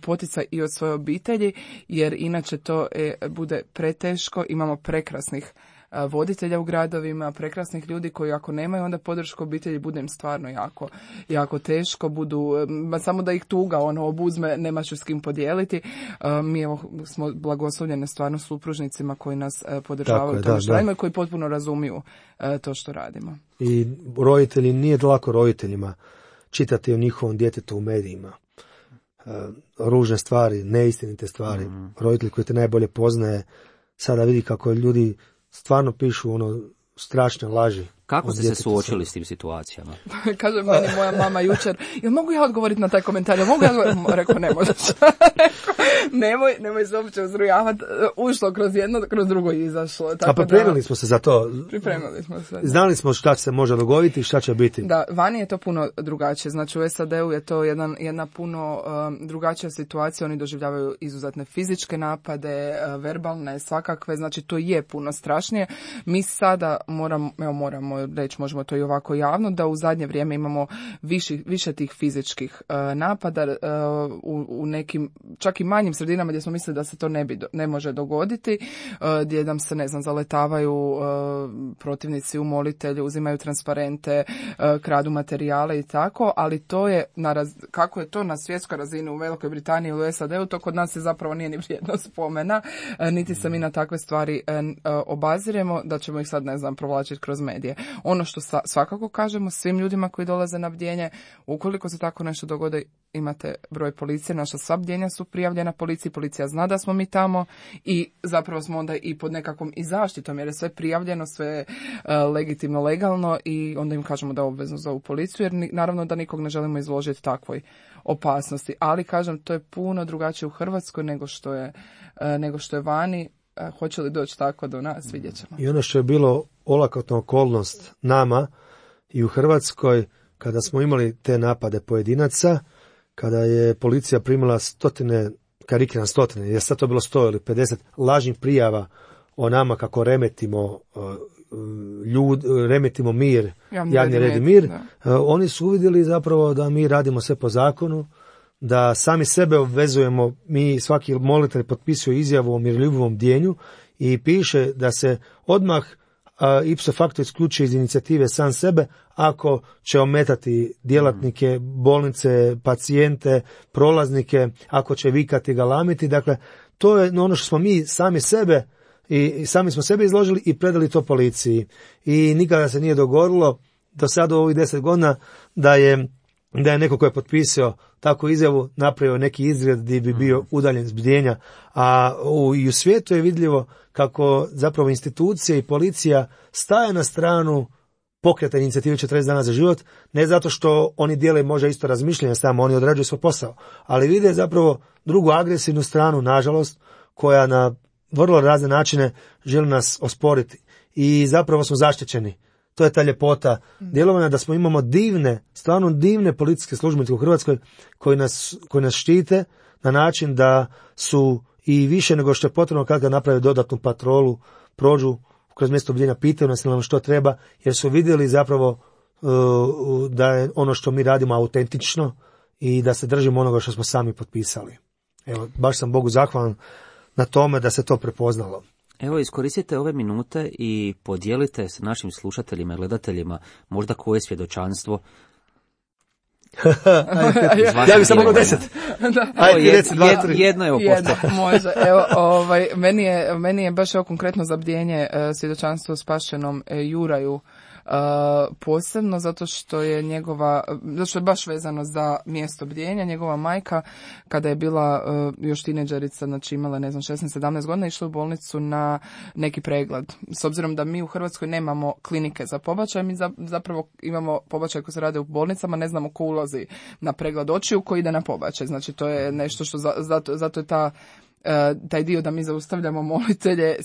poticaj i od svoje obitelji, jer inače to bude preteško. Imamo prekrasnih voditelja u gradovima, prekrasnih ljudi koji ako nemaju onda podršku obitelji, bude im stvarno jako, jako teško, samo da ih tuga obuzme, nemaš s kim podijeliti. Mi smo blagoslovljeni stvarno supružnicima koji nas podržavaju to što radimo i koji potpuno razumiju to što radimo. I roditelji, nije lako roditeljima čitati o njihovom djetetu u medijima. Ružne stvari, neistinite stvari. Roditelj koji te najbolje poznaje sada vidi kako ljudi stvarno pišu strašne laži. Kako ste se suočili s tim situacijama? Kaže meni moja mama jučer, jel mogu ja odgovoriti na taj komentar? Rekao, ne možeš. Nemoj se uopće uzrujavati. Ušlo kroz jedno, kroz drugo i izašlo. A pripremili smo se za to. Pripremili smo se. Znali smo šta se može dogoditi i šta će biti. Da, vani je to puno drugačije. Znači u SAD-u je to jedna puno drugačija situacija. Oni doživljavaju izuzetne fizičke napade, verbalne, svakakve. Znači to je puno strašnije. Mi sada moramo reći, možemo to i ovako javno, da u zadnje vrijeme imamo više tih fizičkih napada u nekim, čak i manjim sredinama gdje smo mislili da se to ne može dogoditi, gdje nam se, zaletavaju protivnici u molitelju, uzimaju transparente, kradu materijale i tako, ali to je, kako je to na svjetskoj razini u Velikoj Britaniji ili u SAD-u, to kod nas je zapravo nije ni vrijedno spomena, niti se mi na takve stvari obaziremo, da ćemo ih sad, provlačiti kroz medije. Ono što svakako kažemo svim ljudima koji dolaze na bdjenje, ukoliko se tako nešto dogodi, imate broj policije, naša sva bdjenja su prijavljena policiji, policija zna da smo mi tamo i zapravo smo onda i pod nekakvom i zaštitom, jer je sve prijavljeno, sve legitimno, legalno i onda im kažemo da obvezno zovu policiju, jer naravno da nikog ne želimo izložiti takvoj opasnosti. Ali kažem, to je puno drugačije u Hrvatskoj nego što je vani. Hoće li doći tako do nas, vidjet ćemo. I ono što je bilo olakotna okolnost nama i u Hrvatskoj, kada smo imali te napade pojedinaca, kada je policija primila karikiran stotine, jer sad to bilo 100 ili 50 lažnih prijava o nama kako remetimo mir, javni red i mir, oni su uvidjeli zapravo da mi radimo sve po zakonu, da sami sebe obvezujemo, mi svaki molitelj potpisuje izjavu o miroljubivom bdjenju i piše da se odmah ipso facto isključuje iz inicijative sam sebe ako će ometati djelatnike, bolnice, pacijente, prolaznike, ako će vikati, galamiti. Dakle, to je ono što smo mi sami sebe i sami smo sebe izložili i predali to policiji. I nikada se nije dogodilo do sada u ovih 10 godina da je neko ko je potpisao takvu izjavu napravio neki izgred gdje bi bio udaljen s bdjenja. A i u svijetu je vidljivo kako zapravo institucije i policija staje na stranu pokreta inicijative 40 dana za život, ne zato što oni dijele možda isto razmišljanje samo, oni odrađuju svoj posao, ali vide zapravo drugu agresivnu stranu, nažalost, koja na vrlo razne načine želi nas osporiti. I zapravo smo zaštićeni. To je ta ljepota djelovanja, da smo imamo divne, stvarno divne policijske službenike u Hrvatskoj koji nas štite na način da su i više nego što je potrebno kada naprave dodatnu patrolu, prođu kroz mjesto bdjenja, pitaju nas nam što treba, jer su vidjeli zapravo da je ono što mi radimo autentično i da se držimo onoga što smo sami potpisali. Evo, baš sam Bogu zahvalan na tome da se to prepoznalo. Evo, iskoristite ove minute i podijelite s našim slušateljima i gledateljima možda koje svjedočanstvo. Ja bih samo mogao 10. Jedno je oposto. Može. Evo, meni je baš konkretno za bdjenje svjedočanstvo spašenom Juraju posebno zato što je baš vezano za mjesto bdjenja. Njegova majka kada je bila još tineđerica, znači imala 16-17 godina, išla u bolnicu na neki pregled. S obzirom da mi u Hrvatskoj nemamo klinike za pobačaj, mi zapravo imamo pobačaj koji se rade u bolnicama, ne znamo ko ulazi na pregled očiju, ko ide na pobačaj. Znači to je nešto što zato je taj dio da mi zaustavljamo molitelje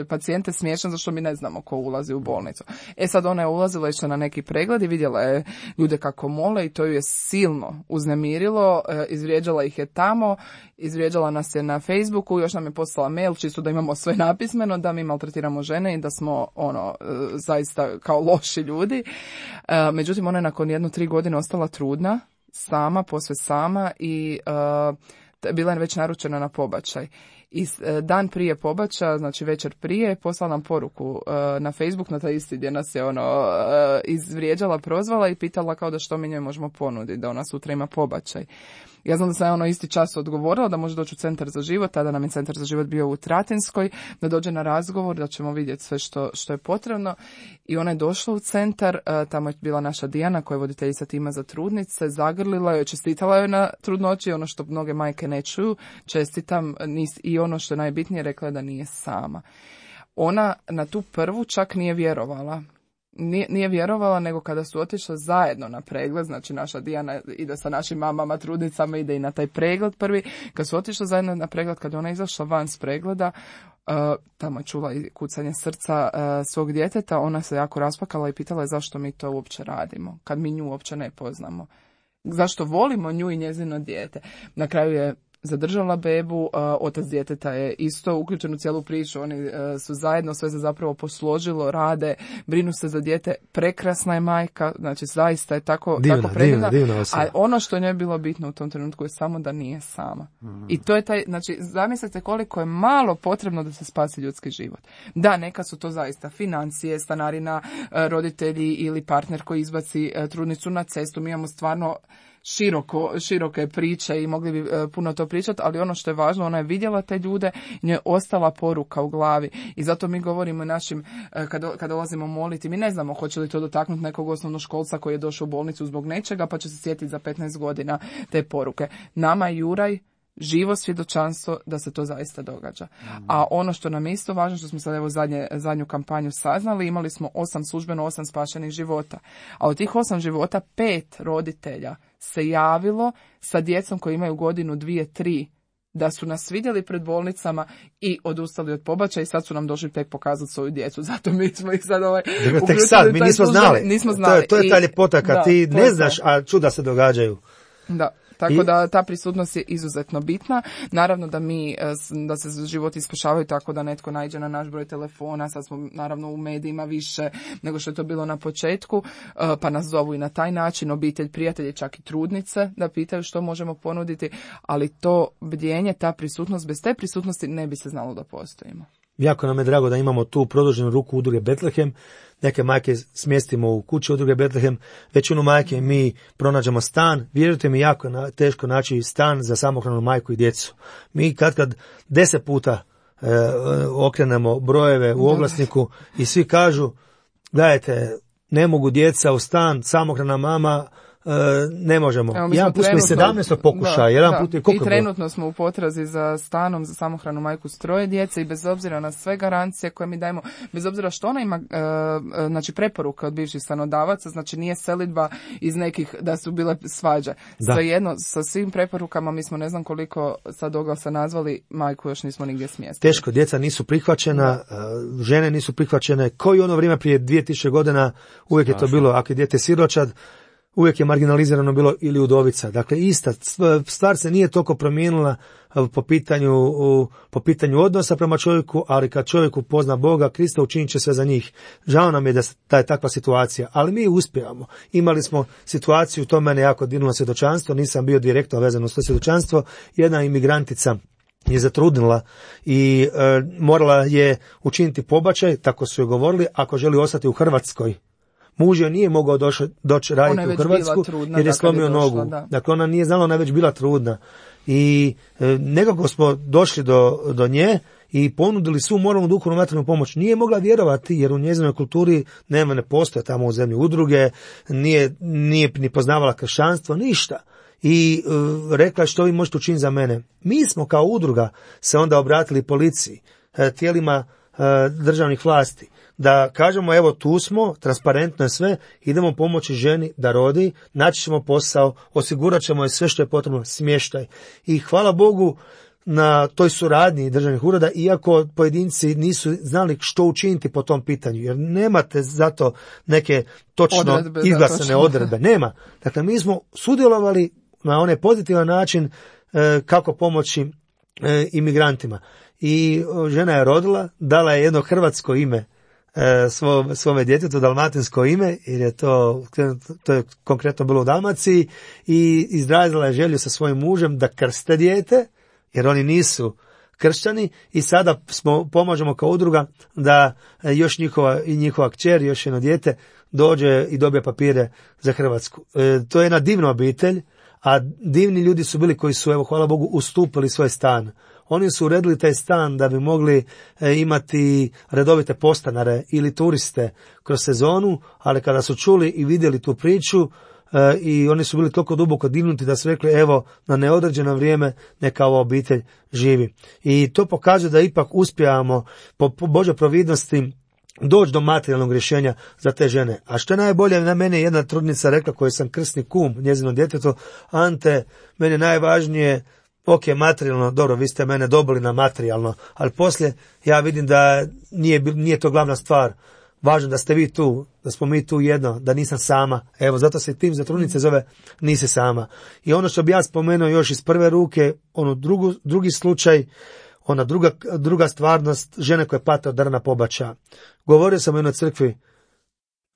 pacijente smiješan zašto mi ne znamo ko ulazi u bolnicu. Sad ona je ulazila, išla na neki pregled i vidjela je ljude kako mole i to ju je silno uznemirilo, izvrijeđala ih je tamo, izvrijeđala nas je na Facebooku, još nam je poslala mail čisto da imamo sve napismeno, da mi maltretiramo žene i da smo zaista kao loši ljudi. Međutim, ona je nakon 1-3 godine ostala trudna, posve sama i bila je već naručena na pobačaj. I dan prije pobačaja, znači večer prije, poslala nam poruku na Facebook, na taj isti gdje nas je izvrijeđala, prozvala i pitala kao da što mi njoj možemo ponuditi, da ona sutra ima pobačaj. Ja znam da sam isti čas odgovorila da može doći u Centar za život, tada nam je Centar za život bio u Tratinskoj, da dođe na razgovor, da ćemo vidjeti sve što je potrebno. I ona je došla u centar, tamo je bila naša Dijana koja je voditeljica tima za trudnice, zagrlila joj, čestitala joj na trudnoći, ono što mnoge majke ne čuju, čestitam, i ono što je najbitnije, rekla je da nije sama. Ona na tu prvu čak nije vjerovala. Nije vjerovala, nego kada su otišle zajedno na pregled, znači naša Dijana ide sa našim mamama, trudnicama, ide i na taj pregled prvi, kad su otišle zajedno na pregled, kada ona izašla van s pregleda, tamo je čula i kucanje srca svog djeteta, ona se jako raspakala i pitala je zašto mi to uopće radimo, kad mi nju uopće ne poznamo. Zašto volimo nju i njezino dijete. Na kraju je zadržala bebu, otac djeteta je isto uključen u cijelu priču, oni su zajedno, sve se zapravo posložilo, rade, brinu se za dijete, prekrasna je majka, znači zaista je tako predivna, a ono što njoj je bilo bitno u tom trenutku je samo da nije sama. I to je znači zamislite koliko je malo potrebno da se spasi ljudski život. Da, neka su to zaista financije, stanarina, roditelji ili partner koji izbaci trudnicu na cestu, mi imamo stvarno široke priče i mogli bi puno to pričati, ali ono što je važno, ona je vidjela te ljude, njoj je ostala poruka u glavi i zato mi govorimo našim, kada dolazimo moliti, mi ne znamo hoće li to dotaknuti nekog osnovnoškolca koji je došao u bolnicu zbog nečega pa će se sjetiti za 15 godina te poruke. Nama je Juraj živo svjedočanstvo da se to zaista događa. A ono što nam je isto važno, što smo sad zadnju kampanju saznali, imali smo 8 spašenih života. A od tih 8 života 5 roditelja se javilo sa djecom koji imaju godinu, 2, 3, da su nas vidjeli pred bolnicama i odustali od pobačaja i sad su nam došli tek pokazati svoju djecu. Zato mi smo ih sad tek sad, mi nismo znali. Nismo znali. To je ta ljepota kad ti ne znaš, a čuda se događaju. Da. Tako da ta prisutnost je izuzetno bitna. Naravno da se životi spašavaju tako da netko naiđe na naš broj telefona, sad smo naravno u medijima više nego što je to bilo na početku, pa nas zovu i na taj način, obitelj, prijatelji, čak i trudnice da pitaju što možemo ponuditi, ali to bdjenje, ta prisutnost, bez te prisutnosti ne bi se znalo da postojimo. Jako nam je drago da imamo tu produženu ruku udruge Betlehem. Neke majke smjestimo u kući udruge Betlehem, većinu majke mi pronađemo stan. Vjerujte mi, jako je teško naći stan za samohranu majku i djecu. Mi kad 10 puta okrenemo brojeve u oglasniku i svi kažu, gledajte, ne mogu djeca u stan, samohrana mama, ne možemo. Jedan put smo i 17 pokušaja, jedan put je koliko. I trenutno smo u potrazi za stanom za samohranu majku s 3 djece i bez obzira na sve garancije koje mi dajemo, bez obzira što ona ima znači preporuka od bivših stanodavaca, znači nije selidba iz nekih da su bile svađe. Svejedno, sa svim preporukama mi smo ne znam koliko sad oglasa nazvali, majku još nismo nigdje smjestili. Teško, djeca nisu prihvaćena, žene nisu prihvaćene, kao i ono vrijeme prije 2000 godina, uvijek je to bilo, ako je dijete siročad, uvijek je marginalizirano bilo ili udovica. Dakle, ista stvar se nije toliko promijenila po pitanju odnosa prema čovjeku, ali kad čovjek upozna Boga, Krista, učinit će sve za njih. Žao nam je da je takva situacija, ali mi uspijevamo. Imali smo situaciju, to mene jako dirnulo svjedočanstvo, nisam bio direktno vezan uz to svjedočanstvo, jedna imigrantica je zatrudnila i morala je učiniti pobačaj, tako su joj govorili, ako želi ostati u Hrvatskoj. Muž joj nije mogao doći raditi u Hrvatsku jer je slomio nogu. Dakle, ona nije znala, ona je već bila trudna. I nekako smo došli do nje i ponudili svu moralnu, duhovnu, materijalnu pomoć. Nije mogla vjerovati jer u njezinoj kulturi ne postoje tamo u zemlji udruge, nije ni poznavala kršćanstvo, ništa. I rekla je, što vi možete učiniti za mene. Mi smo kao udruga se onda obratili policiji, tijelima državnih vlasti, da kažemo, evo tu smo, transparentno je sve, idemo pomoći ženi da rodi, naći ćemo posao, osigurat ćemo je sve što je potrebno, smještaj. I hvala Bogu na toj suradnji državnih ureda, iako pojedinci nisu znali što učiniti po tom pitanju, jer nemate zato neke točno izglasane odredbe. Nema. Dakle, mi smo sudjelovali na onaj pozitivan način kako pomoći imigrantima. I žena je rodila, dala je jedno hrvatsko ime svome djetetu, dalmatinsko ime, jer je to je konkretno bilo u Dalmaciji, i izrazila je želju sa svojim mužem da krste dijete, jer oni nisu kršćani, i sada pomažemo kao udruga da još njihova kćer, još jedno dijete dođe i dobije papire za Hrvatsku. To je jedna divna obitelj, a divni ljudi su bili koji su, evo, hvala Bogu, ustupili svoj stan. Oni su uredili taj stan da bi mogli imati redovite postanare ili turiste kroz sezonu, ali kada su čuli i vidjeli tu priču, i oni su bili toliko duboko dignuti da su rekli, evo, na neodređeno vrijeme neka ova obitelj živi. I to pokazuje da ipak uspijamo po Božoj providnosti doći do materijalnog rješenja za te žene. A što je najbolje, na mene jedna trudnica rekla, koju sam krsni kum njezinom djetetu, Ante, meni je najvažnije, ok, materijalno, dobro, vi ste mene dobili na materijalno, ali poslije ja vidim da nije to glavna stvar. Važno da ste vi tu, da smo mi tu jedno, da nisam sama. Evo, zato se tim za trudnice zove Nisi sama. I ono što bi ja spomenuo još iz prve ruke, drugi slučaj, ona druga stvarnost, žene koje pate od drna pobačaja. Govorio sam u jednoj crkvi,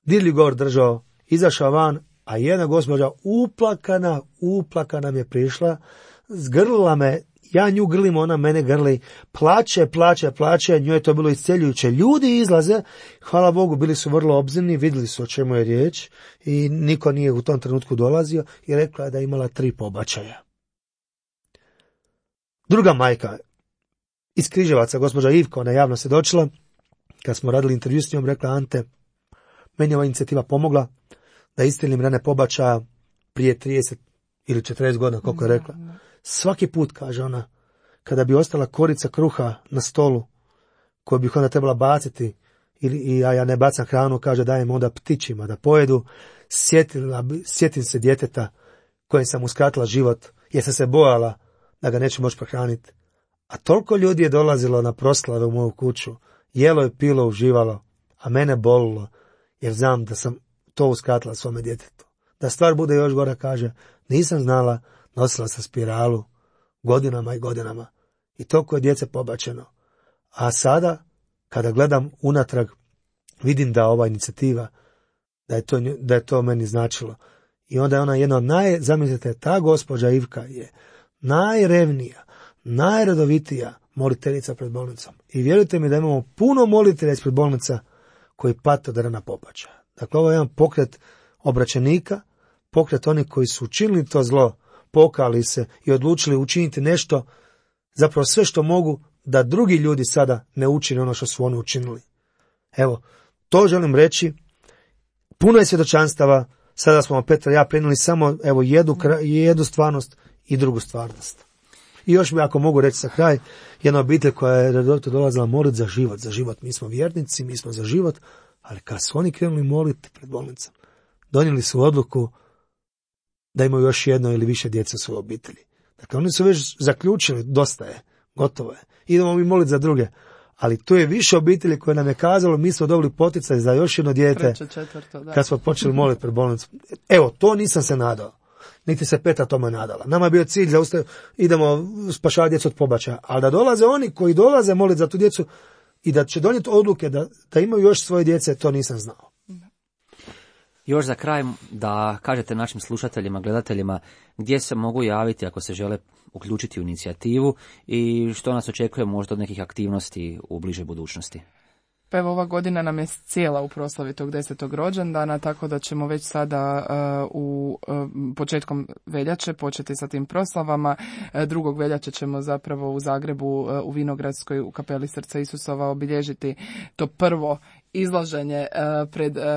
dirljiv govor držao, izašao van, a jedna gospođa uplakana mi je prišla, zgrlila me, ja nju grlim, ona mene grli, plače, njoj je to bilo isceljujuće. Ljudi izlaze, hvala Bogu, bili su vrlo obzirni, vidjeli su o čemu je riječ i niko nije u tom trenutku dolazio i rekla je da je imala 3 pobačaja. Druga majka iz Križevaca, gospođa Ivka, ona javno svjedočila, kad smo radili intervju s njom, rekla, Ante, meni je ova inicijativa pomogla da iscjelim rane pobačaja prije 30 ili 40 godina, koliko je rekla. Svaki put, kaže ona, kada bi ostala korica kruha na stolu, koju bih onda trebala baciti, ja ne bacam hranu, kaže, dajem onda ptićima da pojedu, sjetim se djeteta kojem sam uskratila život, jer sam se bojala da ga neću moći prehraniti. A toliko ljudi je dolazilo na proslave u moju kuću, jelo je, pilo, uživalo, a mene bolilo, jer znam da sam to uskratila svome djetetu. Da stvar bude još gora, kaže, nisam znala nosila sa spiralu godinama i godinama. I toliko je djece pobačeno. A sada, kada gledam unatrag, vidim da ova inicijativa, da je to meni značilo. I onda je ona jedna od zamislite, ta gospođa Ivka je najrevnija, najredovitija moliteljica pred bolnicom. I vjerujte mi da imamo puno molitelja ispred bolnica koji pate od rana pobačaja. Dakle, ovo je jedan pokret obraćenika, pokret onih koji su učinili to zlo, pokali se i odlučili učiniti nešto, zapravo sve što mogu, da drugi ljudi sada ne učine ono što su oni učinili. Evo, to želim reći. Puno je svjedočanstava. Sada smo Petra i ja prenijeli samo jednu stvarnost i drugu stvarnost. I još bi, ako mogu reći sa kraj, jedna obitelj koja je redovito dolazila moliti za život. Mi smo vjernici, mi smo za život, ali kad su oni krenuli moliti pred bolnicom, donijeli su odluku da imaju još jedno ili više djece u svojoj obitelji. Dakle, oni su već zaključili, dosta je, gotovo je. Idemo mi moliti za druge. Ali tu je više obitelji koje nam je kazalo, mi smo dobili poticaj za još jedno dijete, kad smo počeli moliti pred bolnicom. Evo, to nisam se nadao. Niti se Petra tome nadala. Nama je bio cilj da idemo spašavati djecu od pobačaja. Ali da dolaze oni koji dolaze moliti za tu djecu i da će donijeti odluke da imaju još svoje djece, to nisam znao. Još za kraj da kažete našim slušateljima, gledateljima gdje se mogu javiti ako se žele uključiti u inicijativu i što nas očekuje možda od nekih aktivnosti u bližoj budućnosti. Pa evo, ova godina nam je cijela u proslavi tog 10. rođendana, tako da ćemo već sada početkom veljače početi sa tim proslavama. 2. veljače ćemo zapravo u Zagrebu u Vinogradskoj u kapeli Srca Isusova obilježiti to prvo izlaženje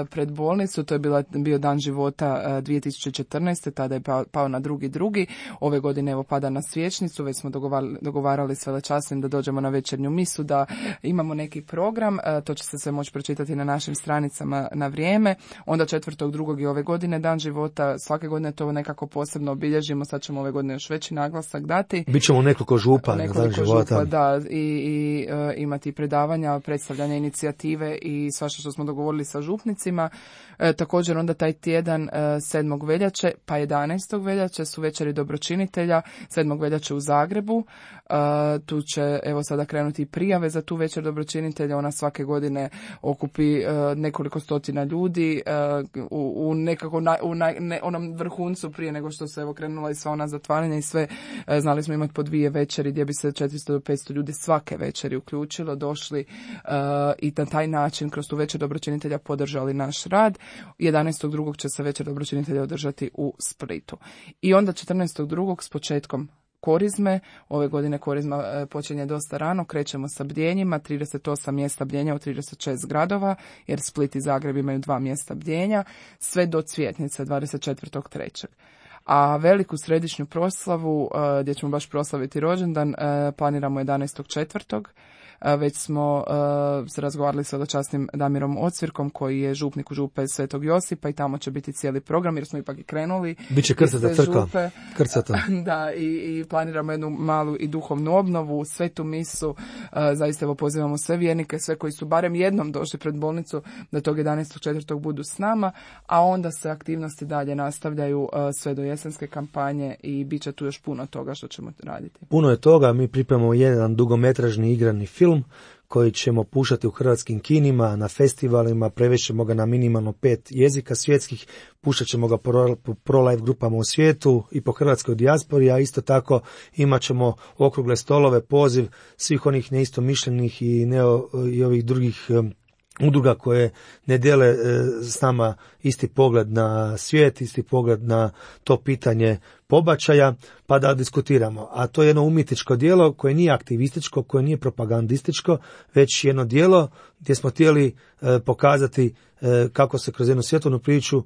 pred bolnicu. To je bio dan života 2014. Tada je pao na 2.2. Ove godine evo pada na Svječnicu. Već smo dogovarali s velečasnim da dođemo na večernju misu, da imamo neki program. To će se sve moći pročitati na našim stranicama na vrijeme. Onda 4.2. i ove godine dan života. Svake godine to nekako posebno obilježimo. Sad ćemo ove godine još veći naglasak dati. Bićemo nekoliko župa. Da, i imati predavanja, predstavljanja inicijative i svašta što smo dogovorili sa župnicima. Također onda taj tjedan 7. veljače pa 11. veljače su večeri dobročinitelja, 7. veljače u Zagrebu. Tu će evo sada krenuti prijave za tu večer dobročinitelja. Ona svake godine okupi nekoliko stotina ljudi u nekako onom vrhuncu prije nego što se evo krenula i sva ona zatvaranja i sve. Znali smo imati po 2 večeri gdje bi se 400 do 500 ljudi svake večeri uključilo, došli i na taj način kroz tu večer dobročinitelja podržali naš rad. 11.2. će se večer dobročinitelja održati u Splitu. I onda 14.2. s početkom Korizme. Ove godine Korizma počinje dosta rano, krećemo sa bdjenjima, 38 mjesta bdjenja u 36 gradova, jer Split i Zagreb imaju 2 mjesta bdjenja, sve do Cvjetnice 24.3. A veliku središnju proslavu, gdje ćemo baš proslaviti rođendan, planiramo 11.4. Već smo se razgovarali sa dočasnim Damirom Ocvirkom, koji je župnik u župe Svetog Josipa, i tamo će biti cijeli program, jer smo ipak i krenuli. Biće krcata crkva. Da, i planiramo jednu malu i duhovnu obnovu, svetu misu. Zaista evo pozivamo sve vjernike, sve koji su barem jednom došli pred bolnicu, da tog 11.4. budu s nama, a onda se aktivnosti dalje nastavljaju sve do jesenske kampanje i bit će tu još puno toga što ćemo raditi. Puno je toga, mi pripremamo jedan dugometražni igrani film koji ćemo puštati u hrvatskim kinima, na festivalima, prevešćemo ga na minimalno 5 jezika svjetskih, puštat ćemo ga po pro-life grupama u svijetu i po hrvatskoj dijaspori, a isto tako imat ćemo okrugle stolove, poziv svih onih neistomišljenih i ovih drugih udruga koje ne dijele s nama isti pogled na svijet, isti pogled na to pitanje pobačaja, pa da diskutiramo. A to je jedno umjetničko djelo koje nije aktivističko, koje nije propagandističko, već jedno djelo gdje smo htjeli pokazati kako se kroz jednu svjetovnu priču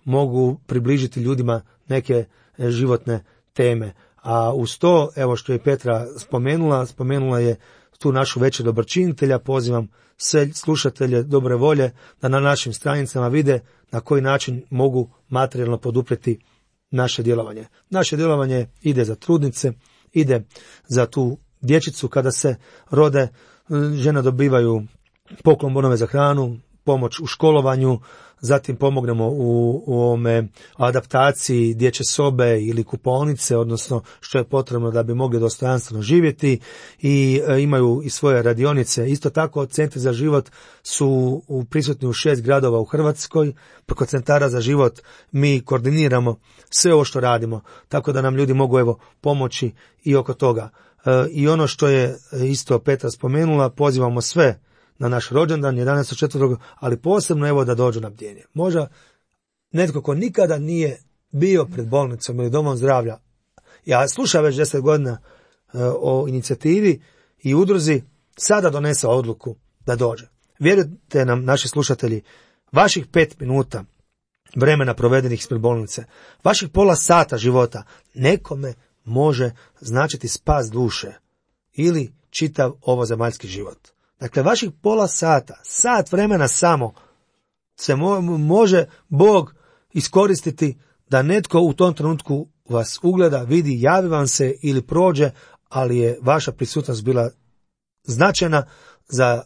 mogu približiti ljudima neke životne teme. A uz to, evo što je Petra spomenula je tu našu večer dobročinitelja. Pozivam sve slušatelje dobre volje da na našim stranicama vide na koji način mogu materijalno poduprijeti naše djelovanje. Naše djelovanje ide za trudnice, ide za tu dječicu kada se rode, žene dobivaju poklon bonove za hranu, pomoć u školovanju, zatim pomognemo u ovome adaptaciji dječje sobe ili kupaonice, odnosno što je potrebno da bi mogli dostojanstveno živjeti, i imaju i svoje radionice. Isto tako, centri za život su prisutni u 6 gradova u Hrvatskoj. Preko centara za život mi koordiniramo sve ovo što radimo, tako da nam ljudi mogu pomoći i oko toga. I ono što je isto Petra spomenula, pozivamo sve na naš rođendan 11.4., ali posebno da dođu na bdjenje. Možda netko ko nikada nije bio pred bolnicom ili domom zdravlja, ja slušam već 10 godina o inicijativi i udruzi, sada donese odluku da dođe. Vjerujte nam, naši slušatelji, vaših 5 minuta vremena provedenih ispred bolnice, vaših pola sata života nekome može značiti spas duše ili čitav ovozemaljski život. Dakle, vaših pola sata, sat vremena samo se može Bog iskoristiti da netko u tom trenutku vas ugleda, vidi, javi vam se ili prođe, ali je vaša prisutnost bila značajna za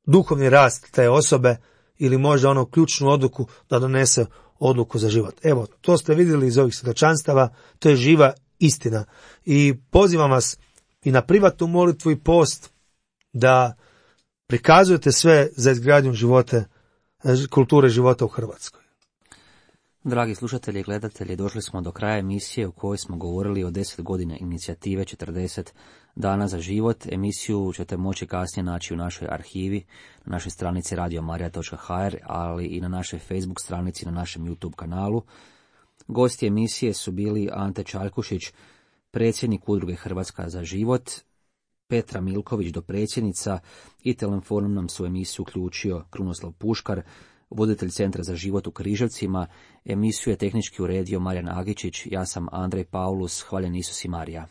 duhovni rast te osobe ili možda onu ključnu odluku da donese odluku za život. Evo, to ste vidjeli iz ovih svjedočanstava, to je živa istina. I pozivam vas i na privatnu molitvu i post da prikazujete sve za izgradnju kulture života u Hrvatskoj. Dragi slušatelji i gledatelji, došli smo do kraja emisije u kojoj smo govorili o 10 godina inicijative 40 dana za život. Emisiju ćete moći kasnije naći u našoj arhivi, na našoj stranici radiomarija.hr, ali i na našoj Facebook stranici, na našem YouTube kanalu. Gosti emisije su bili Ante Čajkušić, predsjednik udruge Hrvatska za život, Petra Milković, dopredsjednica, i telefonom nam su emisiju uključio Krunoslav Puškar, voditelj Centra za život u Križevcima. Emisiju je tehnički uredio Marijan Agičić, ja sam Andrej Paulus, hvaljen Isus i Marija.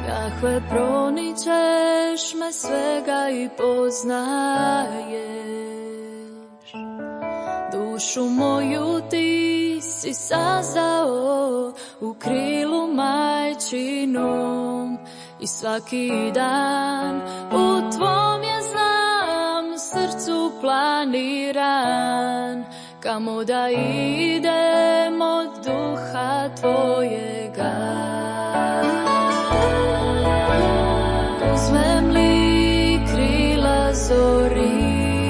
Jahve, proničeš me svega i poznaješ. Dušu moju ti si sazao u krilu majčinom i svaki dan u tvom je znam srcu planiran, kamo da idem od duha tvojega. Uzmem li krila zorina,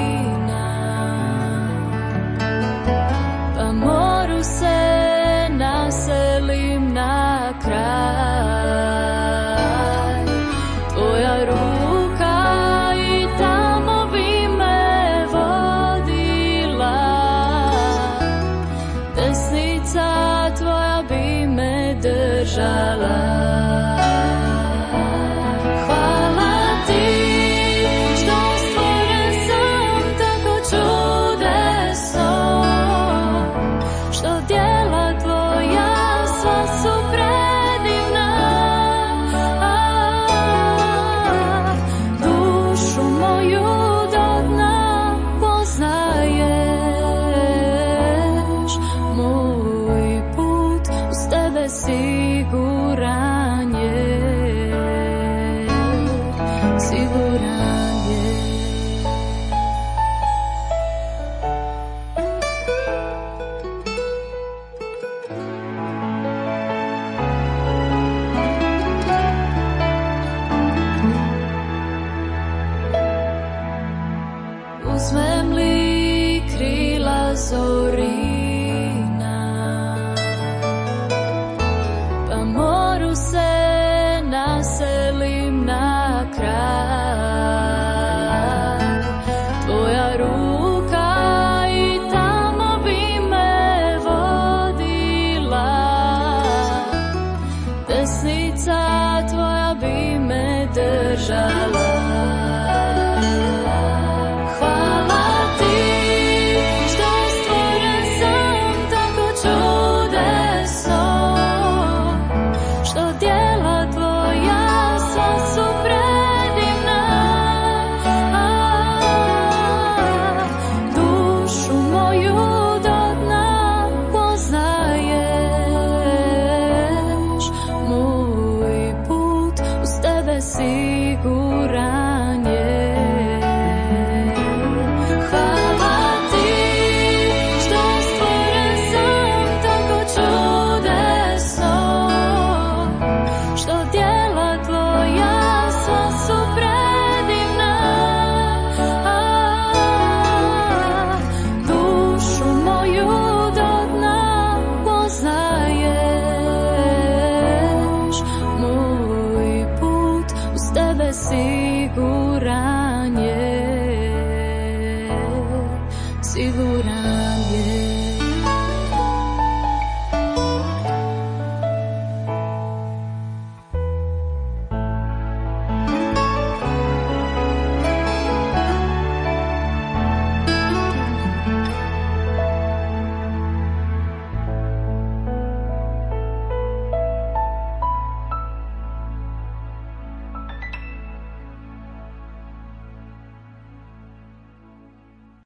pa moru se naselim na kraj. Tvoja ruka i tamo bi me vodila, desnica tvoja bi me držala.